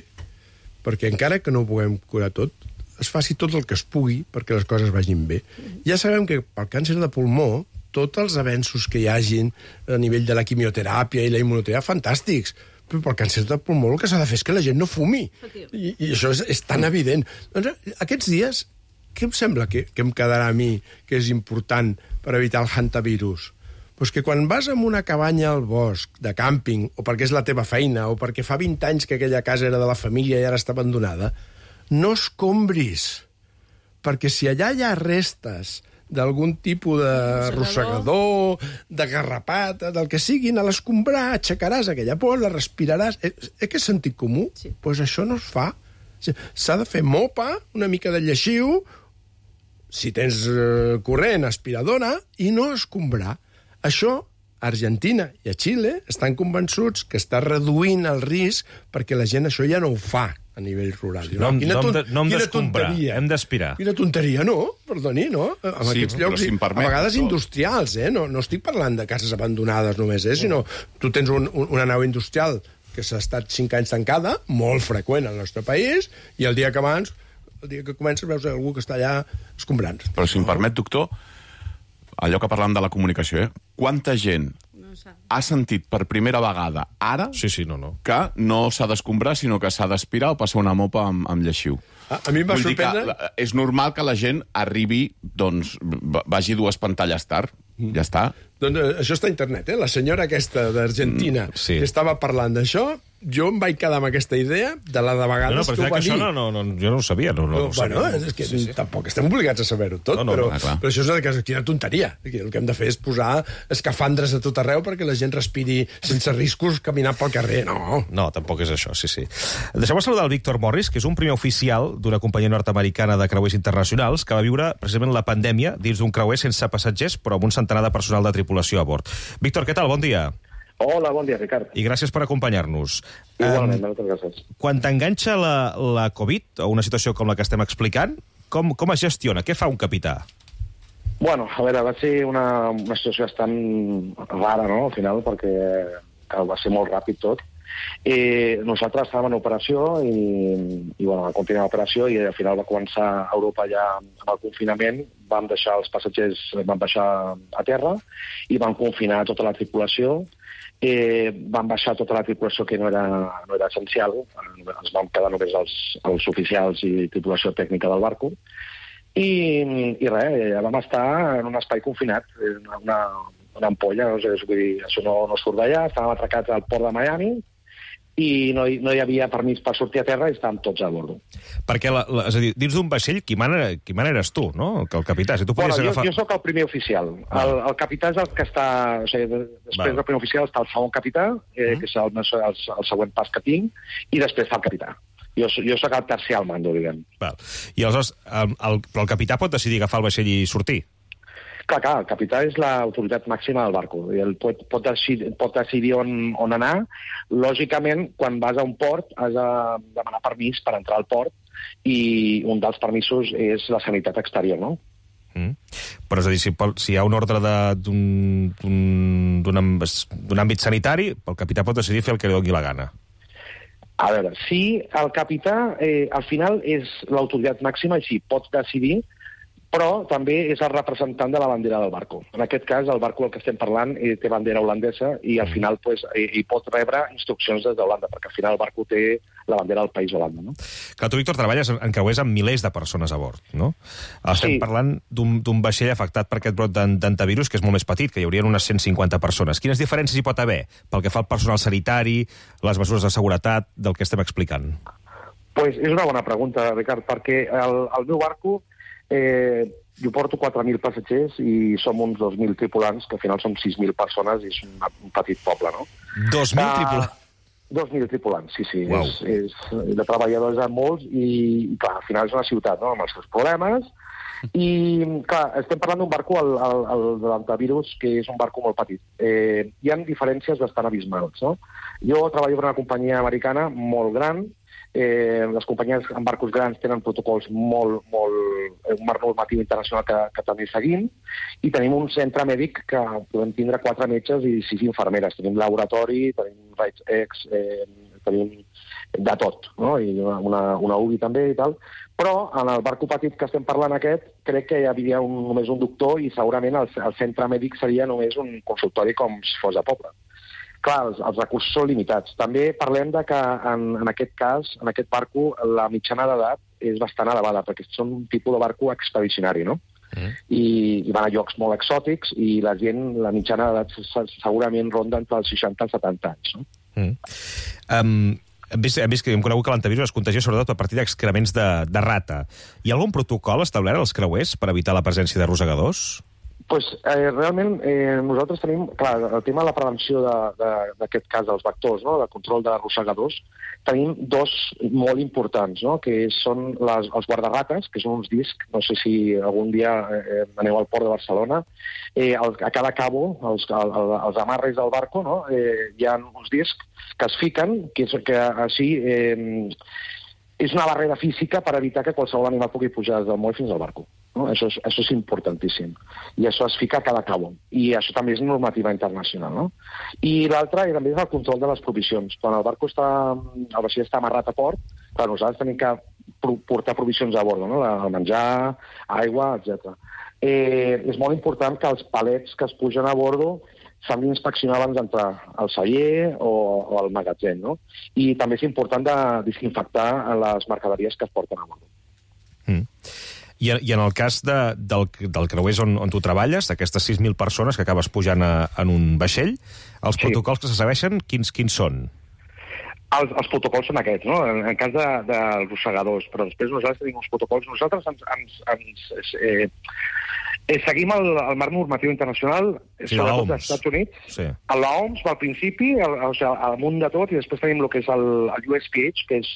perquè encara que no ho puguem curar tot, es faci tot el que es pugui perquè les coses vagin bé. Ja sabem que pel càncer de pulmó tots els avenços que hi hagin a nivell de la quimioteràpia i la immunoteràpia, fantàstics, però pel càncer de pulmó el que s'ha de fer és que la gent no fumi. I, i això és, és tan evident. Doncs, aquests dies, què em sembla que, que em quedarà a mi que és important per evitar el hantavirus? Pues que quan vas a una cabanya al bosc, de càmping, o perquè és la teva feina, o perquè fa vint anys que aquella casa era de la família i ara està abandonada, no escombris, perquè si allà hi ha restes d'algun tipus de rossegador, de garrapata, del que siguin, a l'escombrar aixecaràs aquella por, la respiraràs. Eh, eh, que és sentit comú? Doncs sí. Pues això no es fa. S'ha de fer mopa, una mica de lleixiu, si tens eh, corrent, aspiradora, i no escombrar. Això, a Argentina i a Xile estan convençuts que està reduint el risc perquè la gent això ja no ho fa. a nivell rural. No, quina no, ton... no, no hem quina d'escombrar, tonteria. hem d'aspirar. Quina tonteria, no? Perdoni, no? En Sí, aquests però llocs, si em permet, a vegades no. industrials, eh? No, no estic parlant de cases abandonades només, eh? Sinó tu tens un, un, una nau industrial que s'ha estat cinc anys tancada, molt freqüent al nostre país, i el dia que abans, el dia que comences, veus algú que està allà escombrant. Però si em permet, doctor, allò que parlàvem de la comunicació, eh? Quanta gent ha sentit per primera vegada ara Sí, sí, no, no. que no s'ha d'escombrar, sinó que s'ha d'aspirar o passar una mopa amb, amb lleixiu. A, a mi em va Vull sorprendre... dir que és normal que la gent arribi, doncs, vagi dues pantalles tard. Mm. Ja està. Doncs eh, això està a internet, eh? La senyora aquesta d'Argentina Mm, sí. que estava parlant d'això, jo em vaig quedar amb aquesta idea de la de vegades No, no, però que ho que va això dir. no, no, no, jo no ho sabia. No, no, no ho bueno, sabia. és que sí, sí. Tampoc estem obligats a saber-ho tot, No, no, però, no, clar. però això és una cosa, quina tonteria. El que hem de fer és posar escafandres a tot arreu perquè la gent respiri sense riscos caminant pel carrer. No. No, tampoc és això, sí, sí. Deixeu-me saludar el Víctor Morris, que és un primer oficial d'una companyia nord-americana de creuers internacionals que va viure precisament la pandèmia dins d'un creuer sense passatgers, però amb un centenar de personal de tripulació a bord. Víctor, què tal? Bon dia. Hola, bon dia, Ricard. I gràcies per acompanyar-nos. Igualment, Um, moltes gràcies. quan t'enganxa la, la Covid, o una situació com la que estem explicant, com, com es gestiona? Què fa un capità? Bueno, a veure, va ser una, una situació bastant rara, no?, al final, perquè que va ser molt ràpid tot. Eh, nosaltres estàvem en operació i, i bueno, vam continuar l'operació i al final va començar a Europa ja amb el confinament, vam deixar els passatgers, vam baixar a terra i vam confinar tota la tripulació. Eh, van baixar tota la tripulació que no era, no era essencial, ens vam quedar només els, els oficials i tripulació tècnica del barco, i, i res, vam estar en un espai confinat, una, una, una ampolla, no sé, vull dir, això no, no surt d'allà, estàvem atracats al port de Miami, i no hi, no hi havia permís per sortir a terra i estàvem tots a bordo. Perquè, la, la, és a dir, dins d'un vaixell, qui mana, qui mana eres tu, no? Que el capità. Si tu Bueno, podies jo, agafar... jo sóc el primer oficial. El, el capità és el que està... O sigui, després Val. del primer oficial està el segon capità, eh, Mm. que és el, el, el següent pas que tinc, i després està el capità. Jo, so- jo sóc el tercer al mando, diguem. Val. I aleshores, el, el, però el capità pot decidir agafar el vaixell i sortir? Clar, clar, el capità és l'autoritat màxima del barco. I el pot, pot, decidir, pot decidir on, on anar. Lògicament, quan vas a un port, has de demanar permís per entrar al port, i un dels permisos és la sanitat exterior, no? Mm. Però és a dir, si, pot, si hi ha un ordre de- d'un d'un- d'un amb- d'un àmbit sanitari, el capità pot decidir fer el que li doni la gana. A veure, sí, el capità eh, al final és l'autoritat màxima i sí, pot decidir, però també és el representant de la bandera del barco. En aquest cas, el barco del que estem parlant eh, té bandera holandesa i al final pues, eh, hi pot rebre instruccions des d'Holanda, perquè al final el barco té la bandera del país Holanda. No? Clar, tu, Víctor, treballes en en creuers amb milers de persones a bord, no? Estem Sí. parlant d'un d'un vaixell afectat per aquest brot d'an- d'antivirus, que és molt més petit, que hi haurien unes cent cinquanta persones. Quines diferències hi pot haver pel que fa al personal sanitari, les mesures de seguretat del que estem explicant? Pues és una bona pregunta, Ricard, perquè el, el meu barco eh, jo porto quatre mil passatgers i som uns dos mil tripulants, que al final són sis mil persones i és un, un petit poble, no? dos mil Ah, tripulants. dos mil tripulants, sí, sí. Uau. És, és de treballadors a molts i, i, clar, al final és una ciutat, no?, amb els seus problemes. I, clar, estem parlant d'un barco, el, el, el de l'antivirus, que és un barco molt petit. Eh, hi ha diferències bastant abismals, no? Jo treballo per una companyia americana molt gran. Eh, les companyies amb barcos grans tenen protocols molt, molt, eh, un marc normatiu internacional que, que també seguim, i tenim un centre mèdic que podem tindre quatre metges i sis infermeres. Tenim laboratori, tenim raigs X, eh, tenim de tot, no? I una, una, una U B I també i tal. Però en el barco petit que estem parlant aquest, crec que hi havia un, només un doctor i segurament el, el centre mèdic seria només un consultori com si fos a poble. Clar, els, els recursos són limitats. També parlem de que en, en aquest cas, en aquest barco, la mitjana d'edat és bastant elevada, perquè són un tipus de barco expedicionari, no? Mm. I, i van a llocs molt exòtics i la gent, la mitjana d'edat segurament ronda entre els seixanta i setanta anys, no? Mm. Um, hem, vist, hem vist que hem conegut que l'antivirus es contagia sobretot a partir d'excrements de, de rata. Hi ha algun protocol establert als creuers per evitar la presència de rosegadors? Pues, eh, realment eh, nosaltres tenim, clar, el tema de la prevenció d'aquest cas dels vectors, no?, de control de rosegadors, tenim dos molt importants, no?, que són les, els guardarrates, que són uns discs, no sé si algun dia eh, aneu al port de Barcelona, eh, el, a cada cabo, els, el, el, els amarres del barco, no?, eh, hi ha uns discs que es fiquen, que, és, que així... Eh, és una barrera física per evitar que qualsevol animal pugui pujar des del moll fins al barco. No? Això, és, això és importantíssim. I això es fica a cada cabo. I això també és normativa internacional. No? I l'altre també és el control de les provisions. Quan el barco està, el vaixell està amarrat a port, clar, nosaltres tenim que portar provisions a bordo, no? El menjar, aigua, etcètera. Eh, és molt important que els palets que es pugen a bordo s'han d'inspeccionar abans d'entrar al celler o, o al magatzem, no? I també és important de desinfectar les mercaderies que es porten a bordo. Mm. I, I en el cas de, del, del creuers on, on tu treballes, d'aquestes sis mil persones que acabes pujant a, en un vaixell, els Sí. protocols que se segueixen, quins, quins són? Els, els protocols són aquests, no? En, en cas de, dels rossegadors, però després nosaltres tenim uns protocols. Nosaltres ens, ens, ens, eh, eh, seguim el, el marc normatiu internacional, Sí, sobretot l'O M S. dels Estats Units. Sí. L'O M S va al principi, el, o sigui, al munt de tot, i després tenim el que és el, el U S P H, que és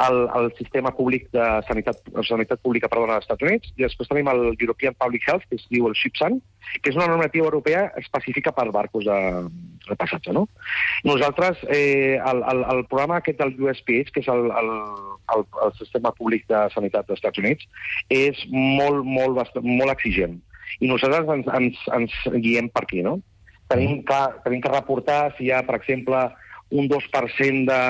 el, el sistema públic de sanitat, sanitat pública perdona, dels Estats Units, i després tenim el European Public Health, que es diu el SHIPSAN, que és una normativa europea específica per barcos de, de passatge, no? Nosaltres, eh, el, el, el programa aquest del U S P H, que és el, el, el, el sistema públic de sanitat dels Estats Units, és molt, molt, bastant, molt exigent. I nosaltres ens, ens, ens guiem per aquí, no? Tenim que, tenim que reportar si hi ha, per exemple, un dos per cent de,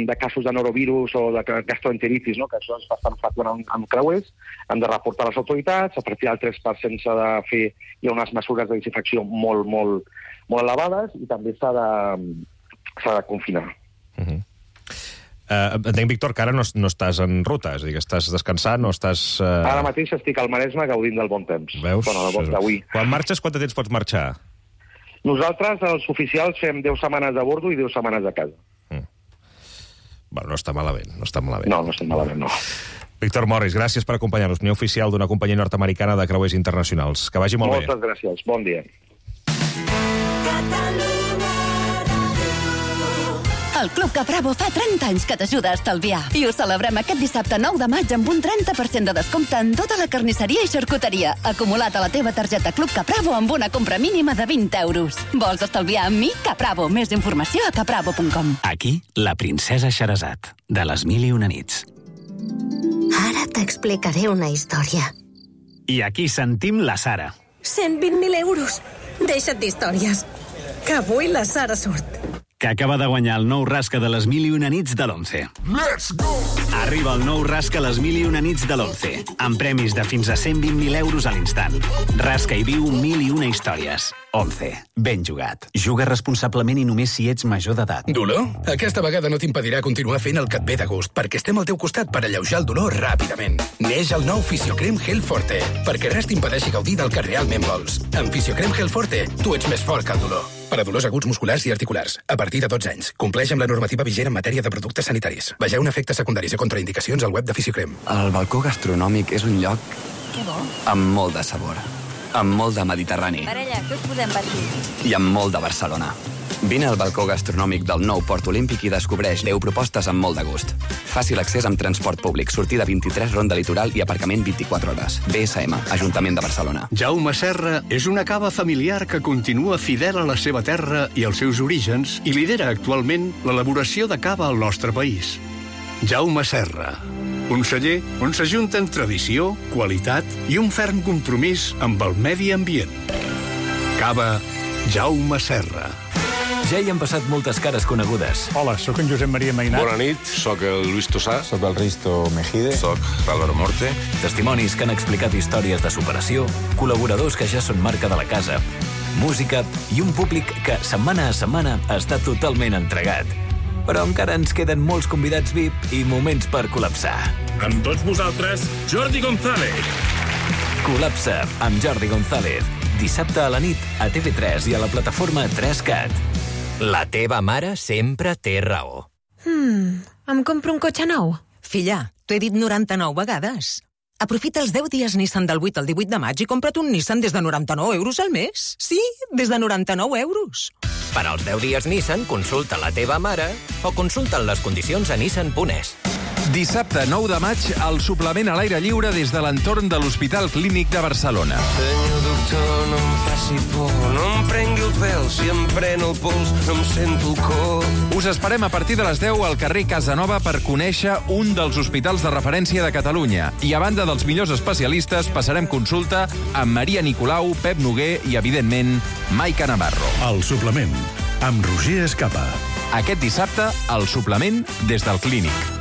de casos de norovirus o de gastroenteritis, no? Que això és bastant freqüent en, en creuers, han de reportar a les autoritats, a partir del tres per cent s'ha de fer, hi ha unes mesures de desinfecció molt, molt, molt elevades i també s'ha de, s'ha de confinar. Uh -huh. Uh, entenc, Víctor, que ara no, no estàs en ruta, és a dir, que estàs descansant, no estàs... Uh... Ara mateix estic al Maresme gaudint del bon temps. Veus? Bueno, el bon d'avui. Quan marxes, quant de temps pots marxar? Nosaltres, els oficials, fem deu setmanes a bordo i deu setmanes a casa. Mm. Bueno, no està malament, no està malament. No, no estem malament, no. Víctor Morris, gràcies per acompanyar-nos, primer oficial d'una companyia nord-americana de creuers internacionals. Que vagi molt Moltes bé. Moltes gràcies, bon dia. El Club Capravo fa trenta anys que t'ajuda a estalviar. I ho celebrem aquest dissabte nou de maig amb un trenta per cent de descompte en tota la carnisseria i xarcuteria. Acumulat a la teva targeta Club Capravo amb una compra mínima de vint euros. Vols estalviar amb mi? Capravo. Més informació a capravo punt com. Aquí, la princesa Xerazat, de les mil i una nits. Ara t'explicaré una història. I aquí sentim la Sara. cent vint mil euros. Deixa't d'històries. Que avui la Sara surt. Que acaba de guanyar el nou rasca de les mil i una nits de l'Once. Let's go! Arriba el nou rasca les mil i una nits de l'Once, amb premis de fins a cent vint mil euros a l'instant. Rasca i viu mil i una històries. Once. Ben jugat. Juga responsablement i només si ets major d'edat. Dolor? Aquesta vegada no t'impedirà continuar fent el que et ve de gust, perquè estem al teu costat per alleujar el dolor ràpidament. Neix el nou Fisiocrem Gel Forte, perquè res t'impedeixi gaudir del que realment vols. Amb Fisiocrem Gel Forte, tu ets més fort que el dolor. Per a dolors aguts musculars i articulars, a partir de dotze anys. Compleix amb la normativa vigent en matèria de productes sanitaris. Vegeu efectes secundaris i contraindicacions al web de Fisiocrem. El balcó gastronòmic és un lloc Que bo. amb molt de sabor, amb molt de Mediterrani Parella, què us podem per aquí? i amb molt de Barcelona. Vine al balcó gastronòmic del nou Port Olímpic i descobreix deu propostes amb molt de gust. Fàcil accés amb transport públic, sortida vint-i-tres, ronda litoral i aparcament vint-i-quatre hores. B S M, Ajuntament de Barcelona. Jaume Serra és una cava familiar que continua fidel a la seva terra i als seus orígens i lidera actualment l'elaboració de cava al nostre país. Jaume Serra, un celler on s'ajunten tradició, qualitat i un ferm compromís amb el medi ambient. Cava Jaume Serra. Ja hi han passat moltes cares conegudes. Hola, sóc en Josep Maria Mainat. Bona nit, sóc el Luis Tosà. Sóc el Risto Mejide. Sóc l'Álvaro Morte. Testimonis que han explicat històries de superació, col·laboradors que ja són marca de la casa, música i un públic que, setmana a setmana, està totalment entregat. Però encara ens queden molts convidats V I P i moments per col·lapsar. Amb tots vosaltres, Jordi González. Col·lapsa amb Jordi González. Dissabte a la nit a T V tres i a la plataforma tres cat. La teva mare sempre té raó. Hmm, em compro un cotxe nou? Filla, t'ho he dit noranta-nou vegades. Aprofita els deu dies Nissan del vuit al divuit de maig i compra't un Nissan des de noranta-nou euros al mes. Sí, des de noranta-nou euros. Per als deu dies Nissan, consulta la teva mare o consulta les condicions a nissan punt es. Dissabte nou de maig, el suplement a l'aire lliure des de l'entorn de l'Hospital Clínic de Barcelona. Senyor doctor, no em faci por, no em prengui el pèl, si em pren el pols, em sento el cor. Us esperem a partir de les deu al carrer Casanova per conèixer un dels hospitals de referència de Catalunya. I a banda dels millors especialistes, passarem consulta amb Maria Nicolau, Pep Noguer i, evidentment, Maica Navarro. El suplement, amb Roger Escapa. Aquest dissabte, el suplement des del Clínic.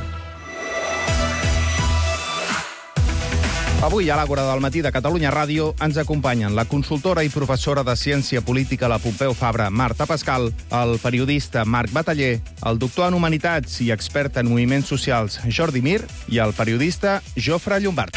Avui, a l'Àgora del matí de Catalunya Ràdio, ens acompanyen la consultora i professora de Ciència Política a la Pompeu Fabra, Marta Pascal, el periodista Marc Bataller, el doctor en Humanitats i expert en moviments socials Jordi Mir i el periodista Jofre Llombard.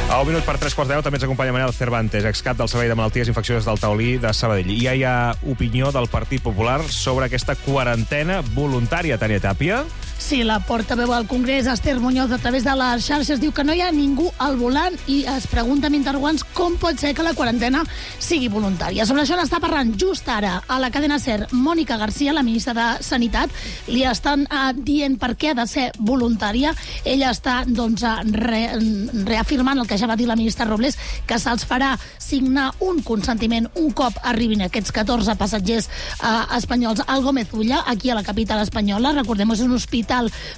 A un minut per tres quarts de deu també ens acompanya Manel Cervantes, excap del Servei de Malalties Infeccioses del Taulí de Sabadell. I ja hi ha opinió del Partit Popular sobre aquesta quarantena voluntària, Tània Tàpia. Sí, la portaveu al Congrés, Esther Muñoz, a través de les xarxes, diu que no hi ha ningú al volant i es pregunta amb interrogants com pot ser que la quarantena sigui voluntària. Sobre això n'està parlant just ara a la cadena SER Mònica García, la ministra de Sanitat. Li estan eh, dient per què ha de ser voluntària. Ella està doncs, re, reafirmant el que ja va dir la ministra Robles, que se'ls farà signar un consentiment un cop arribin aquests catorze passatgers eh, espanyols al Gómez Ulla, aquí a la capital espanyola. Recordem, és un hospital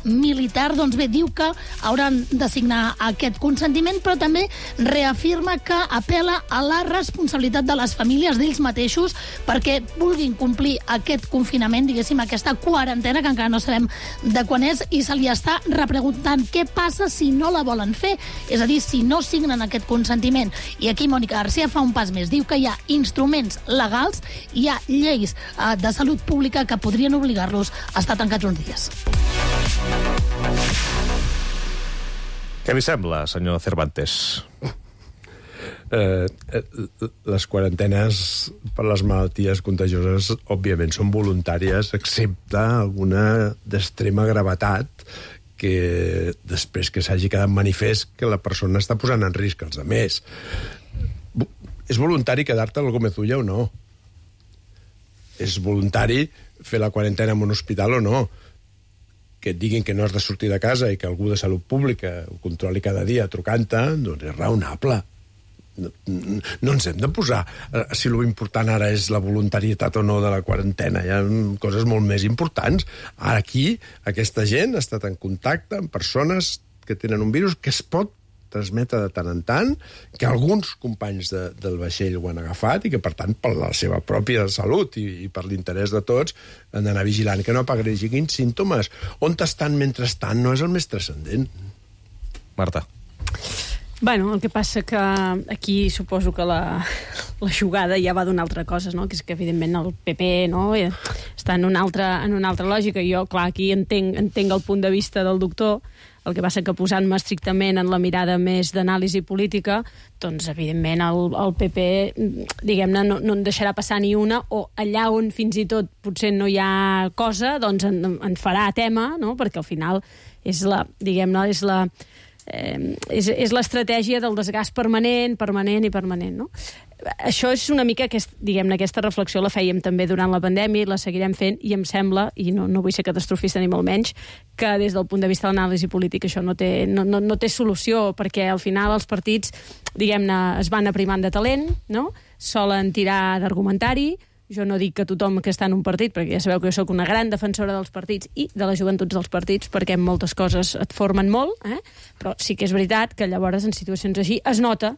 militar. Doncs bé, diu que hauran de signar aquest consentiment, però també reafirma que apela a la responsabilitat de les famílies d'ells mateixos perquè vulguin complir aquest confinament, diguéssim, aquesta quarantena, que encara no sabem de quan és, i se li està repreguntant què passa si no la volen fer, és a dir, si no signen aquest consentiment. I aquí Mònica García fa un pas més. Diu que hi ha instruments legals, hi ha lleis eh, de salut pública que podrien obligar-los a estar tancats uns dies. Què li sembla, senyor Cervantes? Eh, les quarantenes per les malalties contagioses, òbviament, són voluntàries, excepte alguna d'extrema gravetat que després que s'hagi quedat manifest que la persona està posant en risc els altres. És voluntari quedar-te al Gómez Ulla o no? És voluntari fer la quarantena en un hospital o no? Que et diguin que no has de sortir de casa i que algú de salut pública ho controli cada dia trucant-te, doncs és raonable. No, no ens hem de posar si l'important ara és la voluntarietat o no de la quarantena. Hi ha coses molt més importants. Aquí, aquesta gent ha estat en contacte amb persones que tenen un virus que es pot transmetre de tant en tant, que alguns companys de, del vaixell ho han agafat i que, per tant, per la seva pròpia salut i, i per l'interès de tots, han d'anar vigilant que no apareguin símptomes. On estan mentrestant no és el més transcendent. Marta. Bueno, el que passa que aquí suposo que la, la jugada ja va d'una altra cosa, no? Que és que, evidentment, el P P no? està en una altra, en una altra lògica. Jo, clar, aquí entenc, entenc el punt de vista del doctor. El que passa que posant-me estrictament en la mirada més d'anàlisi política, doncs, evidentment, el, el P P, diguem-ne, no, no en deixarà passar ni una, o allà on fins i tot potser no hi ha cosa, doncs en, en farà tema, no? Perquè al final és la, diguem-ne, és la... Eh, és, és l'estratègia del desgast permanent, permanent i permanent, no? Això és una mica, aquest, diguem-ne, aquesta reflexió la fèiem també durant la pandèmia i la seguirem fent, i em sembla, i no, no vull ser catastrofista ni molt menys, que des del punt de vista de l'anàlisi política això no té, no, no, no té solució, perquè al final els partits, diguem-ne, es van aprimant de talent, no? Solen tirar d'argumentari. Jo no dic que tothom que està en un partit, perquè ja sabeu que jo soc una gran defensora dels partits i de les joventuts dels partits, perquè en moltes coses et formen molt, eh? Però sí que és veritat que llavors en situacions així es nota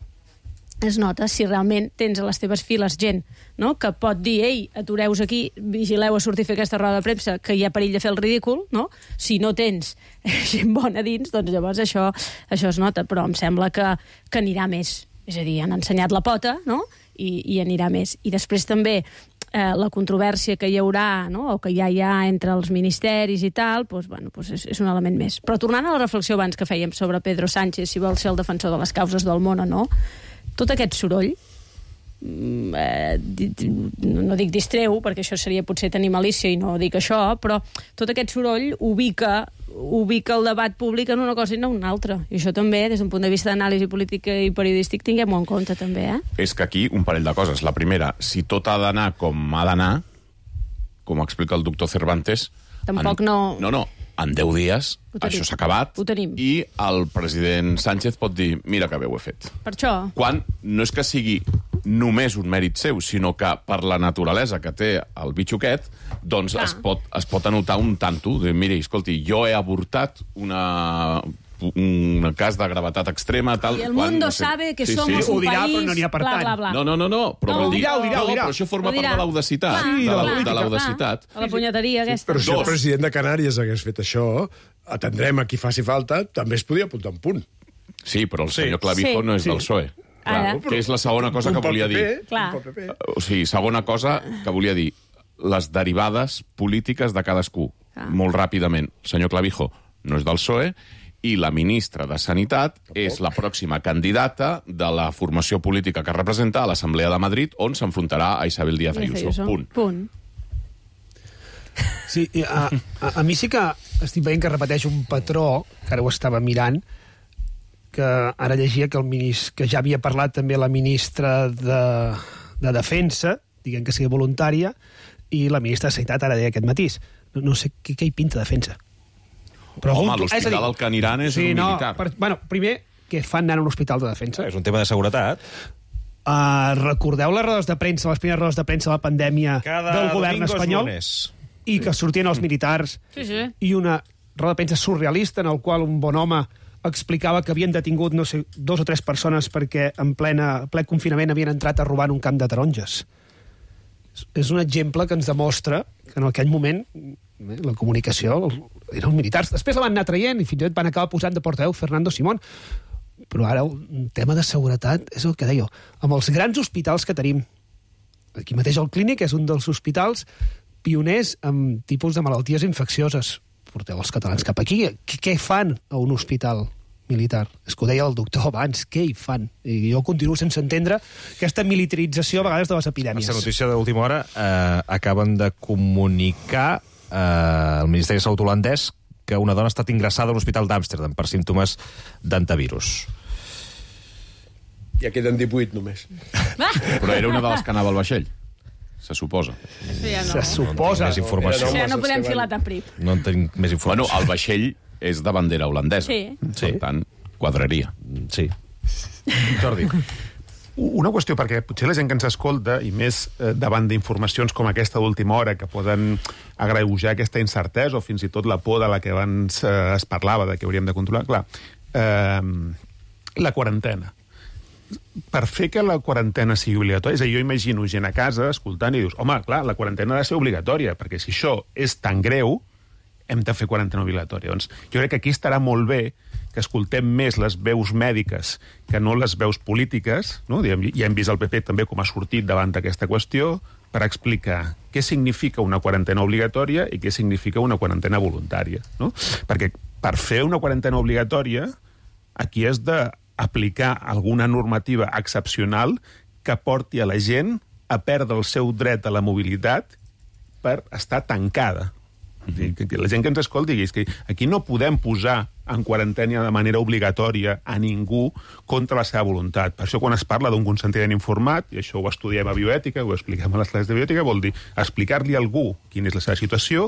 es nota si realment tens a les teves files gent, no? Que pot dir, ei, atureu-vos aquí, vigileu a sortir a fer aquesta roda de premsa, que hi ha perill de fer el ridícul, no? Si no tens gent bona dins, doncs llavors això, això es nota, però em sembla que, que anirà més. És a dir, han ensenyat la pota, no? I, i anirà més. I després també eh, la controvèrsia que hi haurà, no? O que ja hi ha entre els ministeris i tal, doncs, bueno, doncs és, és un element més. Però tornant a la reflexió abans que fèiem sobre Pedro Sánchez, si vol ser el defensor de les causes del món o no, tot aquest soroll, eh, no dic distreu, perquè això seria potser tenir malícia i no dic això, però tot aquest soroll ubica, ubica el debat públic en una cosa i no en una altra. I això també, des d'un punt de vista d'anàlisi política i periodístic, tinguem-ho en compte també, eh? És que aquí un parell de coses. La primera, si tot ha d'anar com ha d'anar, com explica el doctor Cervantes... Tampoc en, no... No, no, en deu dies això s'ha acabat i el president Sánchez pot dir, mira que bé ho he fet. Per això. Quan no és que sigui només un mèrit seu, sinó que per la naturalesa que té el bitxo aquest, doncs es pot, es pot anotar un tanto de, mira, escolti, jo he avortat una... un cas de gravetat extrema, tal... I el mundo no sé. sabe que sí, somos sí. un dirà, país... Però no n'hi ha per tant. Bla, bla, bla. No, no, no, no, però, no, vol dir, dirà, ho dirà, no, ho dirà. però això forma part de l'audacitat. Sí, de, la, la, de l'audacitat. A la punyeteria aquesta. Però si el president de Canàries hagués fet això, atendrem a qui faci falta, també es podia apuntar un punt. Sí, però el senyor Clavijo Sí. no és Sí. del P S O E. Ara. Que és la segona cosa Un que volia P P, dir. Clar. un P P. O sigui, segona cosa que volia dir. Les derivades polítiques de cadascú. Ah. Molt ràpidament. El senyor Clavijo no és del P S O E i la ministra de Sanitat és la pròxima candidata de la formació política que representa a l'Assemblea de Madrid, on s'enfrontarà a Isabel Díaz Ayuso. Punt. Punt. Sí, a, a, a mi sí que estic veient que repeteix un patró, que ara ho estava mirant, que ara llegia que, el minis, que ja havia parlat també la ministra de, de Defensa, diguem que sigui voluntària, i la ministra de Sanitat ara deia aquest matís. No, no sé què, què hi pinta Defensa. Però home, l'hospital al que aniran és sí, un militar. No, per, bueno, primer, què fan anar a un hospital de defensa? És un tema de seguretat. Uh, recordeu les rodes de premsa, les primeres rodes de premsa de la pandèmia Cada del govern espanyol? I que sortien els militars sí, sí. i una roda de premsa surrealista en el qual un bon home explicava que havien detingut, no sé, dos o tres persones perquè en plena, ple confinament havien entrat a robar en un camp de taronges. És un exemple que ens demostra que en aquell moment la comunicació eren militars. Després la van anar traient i fins i tot van acabar posant de portaveu Fernando Simón. Però ara un tema de seguretat és el que deia. Amb els grans hospitals que tenim, aquí mateix el Clínic és un dels hospitals pioners amb tipus de malalties infeccioses. Porteu els catalans cap aquí. Què, què fan a un hospital militar? És que ho deia el doctor abans, què hi fan? I jo continuo sense entendre aquesta militarització a vegades de les epidèmies. Aquesta notícia d'última hora eh, acaben de comunicar eh, al Ministeri de Salut holandès que una dona ha estat ingressada a l'Hospital d'Amsterdam per símptomes d'antivirus. Ja queden divuit només. Però era una de les que anava al vaixell. Se suposa. Sí, ja no. Se suposa. No més informació. Sí, ja no podem filar tan prim. No en tinc més informació. Bueno, el vaixell és de bandera holandesa. Sí. Per tant, quadraria. Sí. Jordi. Una qüestió, perquè potser la gent que ens escolta, i més eh, davant d'informacions com aquesta d'última hora, que poden agreujar aquesta incertesa o fins i tot la por de la que abans eh, es parlava, de que hauríem de controlar, clar, eh, la quarantena. Per fer que la quarantena sigui obligatòria, és a dir, jo imagino gent a casa escoltant i dius, home, clar, la quarantena ha de ser obligatòria, perquè si això és tan greu, hem de fer quarantena obligatòria. Doncs jo crec que aquí estarà molt bé que escoltem més les veus mèdiques que no les veus polítiques, no? Ja hem vist el P P també com ha sortit davant d'aquesta qüestió per explicar què significa una quarantena obligatòria i què significa una quarantena voluntària, no? Perquè per fer una quarantena obligatòria aquí has d'aplicar alguna normativa excepcional que porti a la gent a perdre el seu dret a la mobilitat per estar tancada. Mm-hmm. Que la gent que ens escolti digui que aquí no podem posar en quarantena de manera obligatòria a ningú contra la seva voluntat. Per això quan es parla d'un consentiment informat, i això ho estudiem a bioètica, ho expliquem a les classes de bioètica, vol dir explicar-li a algú quina és la seva situació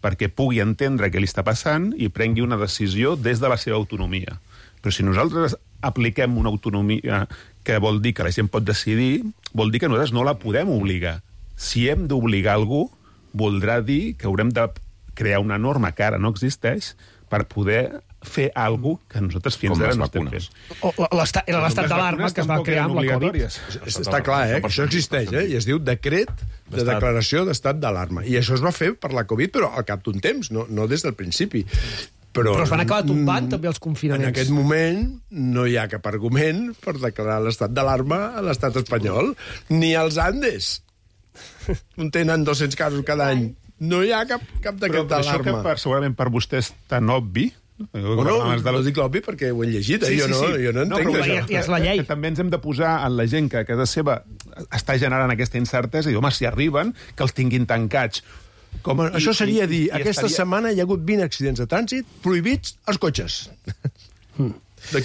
perquè pugui entendre què li està passant i prengui una decisió des de la seva autonomia. Però si nosaltres apliquem una autonomia que vol dir que la gent pot decidir, vol dir que nosaltres no la podem obligar. Si hem d'obligar algú, voldrà dir que haurem de crear una norma que ara no existeix per poder fer alguna cosa que nosaltres fins ara no estem fent. O, l'estat, era l'estat d'alarma que es va crear amb la Covid. Està clar, eh? Que això existeix, eh? I es diu decret de declaració d'estat d'alarma. I això es va fer per la Covid, però al cap d'un temps, no, no des del principi. Però, però es van acabar tombant també els confinaments. En aquest moment no hi ha cap argument per declarar l'estat d'alarma a l'estat espanyol, ni als Andes, on tenen dos-cents casos cada any. No hi ha cap, cap decret d'alarma. Però això que per, segurament per vostè és tan obvi... No, no, no dic l'obvi perquè ho he llegit, eh? Sí, jo, no, sí, sí. jo no entenc no, això. Ja és la llei. Que també ens hem de posar en la gent que a casa seva està generant aquesta incertesa i dir, home, si arriben, que els tinguin tancats. Com a, I, això seria dir, i, i aquesta estaria... setmana hi ha hagut vint accidents de trànsit prohibits als cotxes. Mm.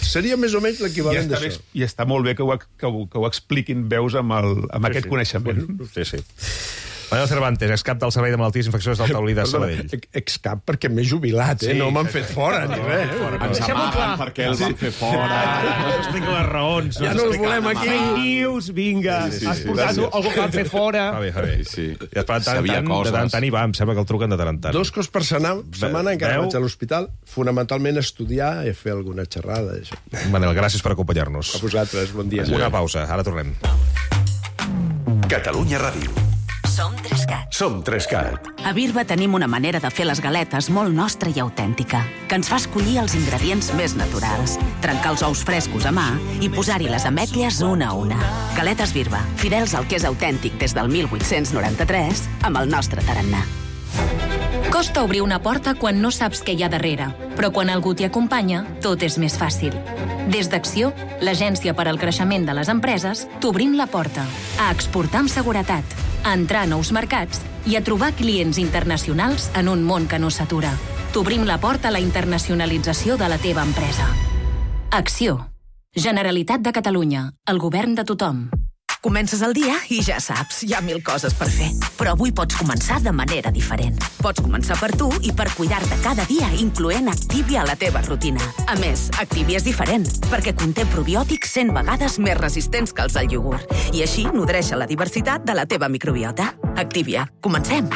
Seria més o menys l'equivalent d'això. I està molt bé que ho, que ho, que ho expliquin veus amb, el, amb sí, aquest sí. coneixement. Sí, sí. Manel Cervantes, excap del Servei de Malalties Infeccioses del Taulí de Sabadell. Excap perquè m'he jubilat, eh? Sí, no m'han exacte. fet fora, ni res. Ens amaguen perquè el van fer fora. No s'explica les raons. Ja no els volem aquí. Fake news, vinga. Sí, sí, Has sí, portat gràcies. algú que van fer fora. Va bé, va bé. Sí. I després, de tant, en Sabia tant, de coses. tant en tant hi va, em sembla que el truquen de tant en tant. Dos cops per setmana, setmana encara Veu? vaig a l'hospital, fonamentalment a estudiar i a fer alguna xerrada. Això. Manel, gràcies per acompanyar-nos. A vosaltres, bon dia. Una pausa, ara tornem. Catalunya Ràdio. Som Trescat. Som Trescat. A Birba tenim una manera de fer les galetes molt nostra i autèntica, que ens fa escollir els ingredients més naturals, trencar els ous frescos a mà i posar-hi les ametlles una a una. Galetes Birba, fidels al que és autèntic des del mil vuit-cents noranta-tres, amb el nostre tarannà. Costa obrir una porta quan no saps què hi ha darrere, però quan algú t'hi acompanya, tot és més fàcil. Des d'Acció, l'agència per al creixement de les empreses, t'obrim la porta a exportar amb seguretat, a entrar a nous mercats i a trobar clients internacionals en un món que no s'atura. T'obrim la porta a la internacionalització de la teva empresa. Acció. Generalitat de Catalunya. El govern de tothom. Comences el dia i ja saps, hi ha mil coses per fer. Però avui pots començar de manera diferent. Pots començar per tu i per cuidar-te cada dia, incloent Activia a la teva rutina. A més, Activia és diferent, perquè conté probiòtics cent vegades més resistents que els del iogurt. I així nodreix la diversitat de la teva microbiota. Activia. Comencem.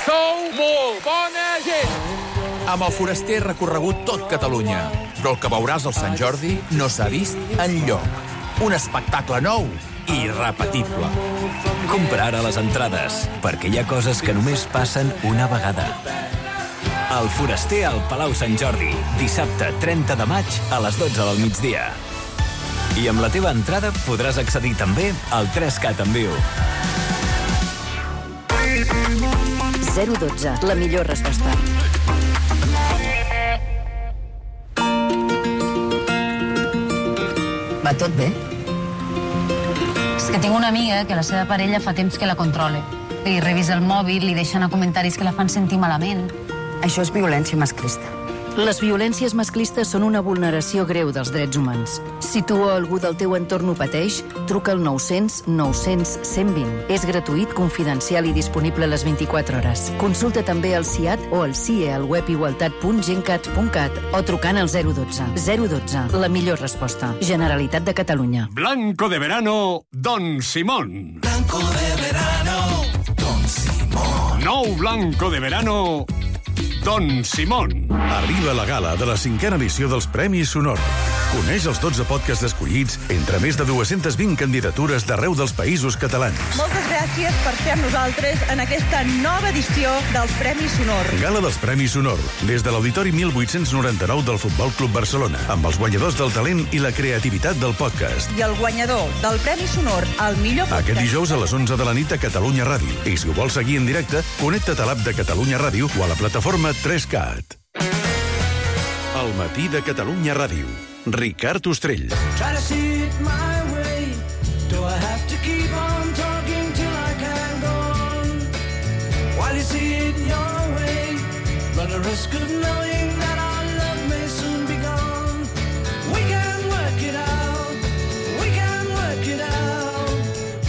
Sou molt bona gent! Amb el Foraster he recorregut tot Catalunya, però el que veuràs al Sant Jordi no s'ha vist enlloc. Un espectacle nou i irrepetible. Compra ara les entrades, perquè hi ha coses que només passen una vegada. El Foraster al Palau Sant Jordi, dissabte trenta de maig a les dotze del migdia. I amb la teva entrada podràs accedir també al tres cat en viu. zero dotze, la millor resposta. Va tot bé? És que tinc una amiga que la seva parella fa temps que la controla. Li revisa el mòbil, li deixa anar comentaris que la fan sentir malament. Això és violència masclista. Les violències masclistes són una vulneració greu dels drets humans. Si tu o algú del teu entorn ho pateix, truca al nou cents nou cents cent vint. És gratuït, confidencial i disponible a les vint-i-quatre hores. Consulta també el C I A T o el C I E al web igualtat punt gencat punt cat o trucant al zero dotze. zero dotze, la millor resposta. Generalitat de Catalunya. Blanco de verano, Don Simón. Blanco de verano, Don Simón. Nou Blanco de verano, Don Simón. Arriba la gala de la cinquena edició dels Premis Sonor. Coneix els dotze podcasts escollits entre més de dues-centes vint candidatures d'arreu dels països catalans. Moltes gràcies per ser amb nosaltres en aquesta nova edició dels Premis Sonor. Gala dels Premis Sonor, des de l'Auditori mil vuit-cents noranta-nou del Futbol Club Barcelona, amb els guanyadors del talent i la creativitat del podcast. I el guanyador del Premi Sonor, el millor podcast... Aquest dijous a les onze de la nit a Catalunya Ràdio. I si ho vols seguir en directe, connecta't a l'app de Catalunya Ràdio o a la plataforma tres cat. El matí de Catalunya Ràdio. Ricard Ostrell. Try to see it my way. Do I have to keep on talking till I can go on? While you see it your way, run the risk of knowing that our love may soon be gone. We can work it out. We can work it out.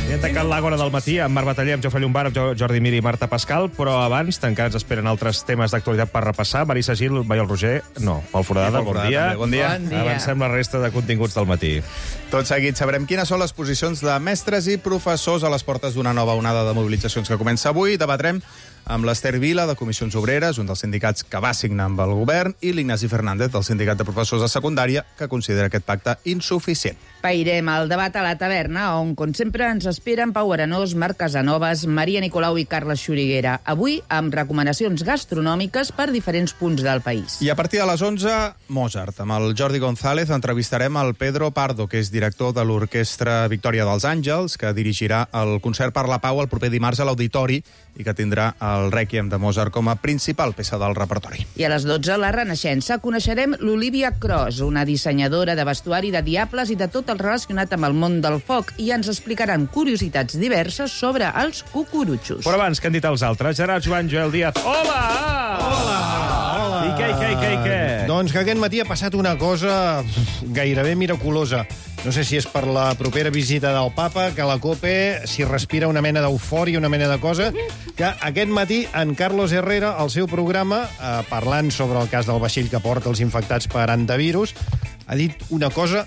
I hem tancat l'Àgora del matí amb Marc Bataller, amb Jofre Llombard, amb Jordi Mir i Marta Pascal, però abans encara ens esperen altres temes d'actualitat per repassar. Marisa Gil, Maiol Roger, no, Pol Foradada, bon dia. Bon dia. Bon dia. Avancem la resta de continguts del matí. Tot seguit sabrem quines són les posicions de mestres i professors a les portes d'una nova onada de mobilitzacions que comença avui. Debatrem amb l'Ester Vila, de Comissions Obreres, un dels sindicats que va signar amb el govern, i l'Ignasi Fernández, del Sindicat de Professors de Secundària, que considera aquest pacte insuficient. Pairem el debat a la taverna, on, com sempre, ens esperen Pau Arenós, Marc Casanovas, Maria Nicolau i Carles Xuriguera. Avui, amb recomanacions gastronòmiques per diferents punts del país. I a partir de les onze, Mozart. Amb el Jordi González entrevistarem el Pedro Pardo, que és director de l'Orquestra Victòria dels Àngels, que dirigirà el Concert per la Pau el proper dimarts a l'Auditori i que tindrà el Rèquiem de Mozart com a principal peça del repertori. I a les dotze, la Renaixença, coneixerem l'Olivia Cross, una dissenyadora de vestuari de diables i de tot el relacionat amb el món del foc, i ens explicaran curiositats diverses sobre els cucurutxos. Però abans, què han dit els altres? Gerard Joan, Joel Díaz. Hola! Hola! Hola! I què, i què, i què, i què? Doncs que aquest matí ha passat una cosa gairebé miraculosa. No sé si és per la propera visita del papa, que la COPE s'hi respira una mena d'eufòria, una mena de cosa, que aquest matí en Carlos Herrera, al seu programa, eh, parlant sobre el cas del vaixell que porta els infectats per antivirus, ha dit una cosa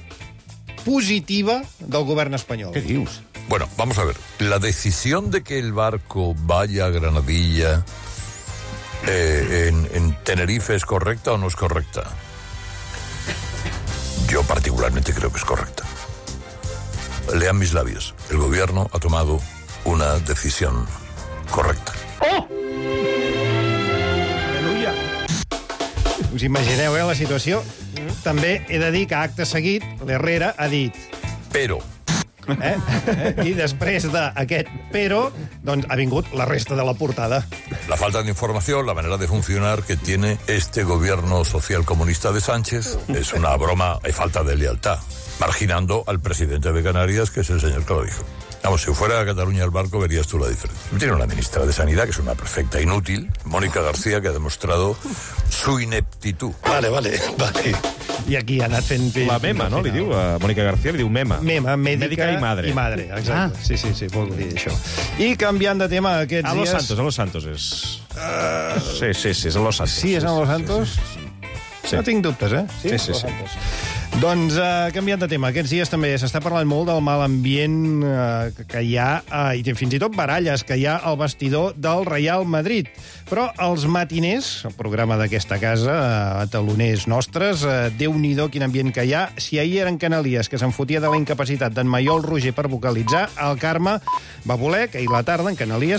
positiva del govern espanyol. Què dius? Bueno, vamos a ver. La decisión de que el barco vaya a Granadilla eh, en, en Tenerife es correcta o no es correcta. Yo particularmente creo que es correcta. Lean mis labios. El gobierno ha tomado una decisión correcta. Oh! Aleluia! Us imagineu, eh, la situació? També he de dir que acte seguit l'Herrera ha dit... Pero... Eh? Eh? I després d'aquest pero, doncs ha vingut la resta de la portada. La falta de información, la manera de funcionar que tiene este gobierno social comunista de Sánchez es una broma y falta de lealtad, marginando al presidente de Canarias, que es el señor que lo dijo. Vamos, si fuera a Cataluña el barco, verías tú la diferencia. Tiene una ministra de Sanidad, que es una perfecta inútil, Mónica García, que ha demostrado su ineptitud. Vale, vale, vale. I aquí ha anat fent... La mema, no? Li diu, a Mònica García li diu mema. Mema, mèdica, mèdica i madre. I madre, exacte. Ah. Sí, sí, sí, vol dir això. I canviant de tema aquests a Los dies... Santos, a Los Santos és... Uh... Sí, sí, sí, és a Los Santos. Sí, és a Los Santos? Sí, sí, sí. No tinc dubtes, eh? Sí, sí, sí. sí. Doncs, uh, canviant de tema, aquests dies també s'està parlant molt del mal ambient uh, que hi ha, uh, i fins i tot baralles que hi ha al vestidor del Real Madrid. Però els matiners, el programa d'aquesta casa, uh, taloners nostres, uh, Déu-n'hi-do quin ambient que hi ha. Si ahir eren Canalies, que se'n fotia de la incapacitat d'en Maiol Roger per vocalitzar, el Carme va voler que ahir la tarda en Canalies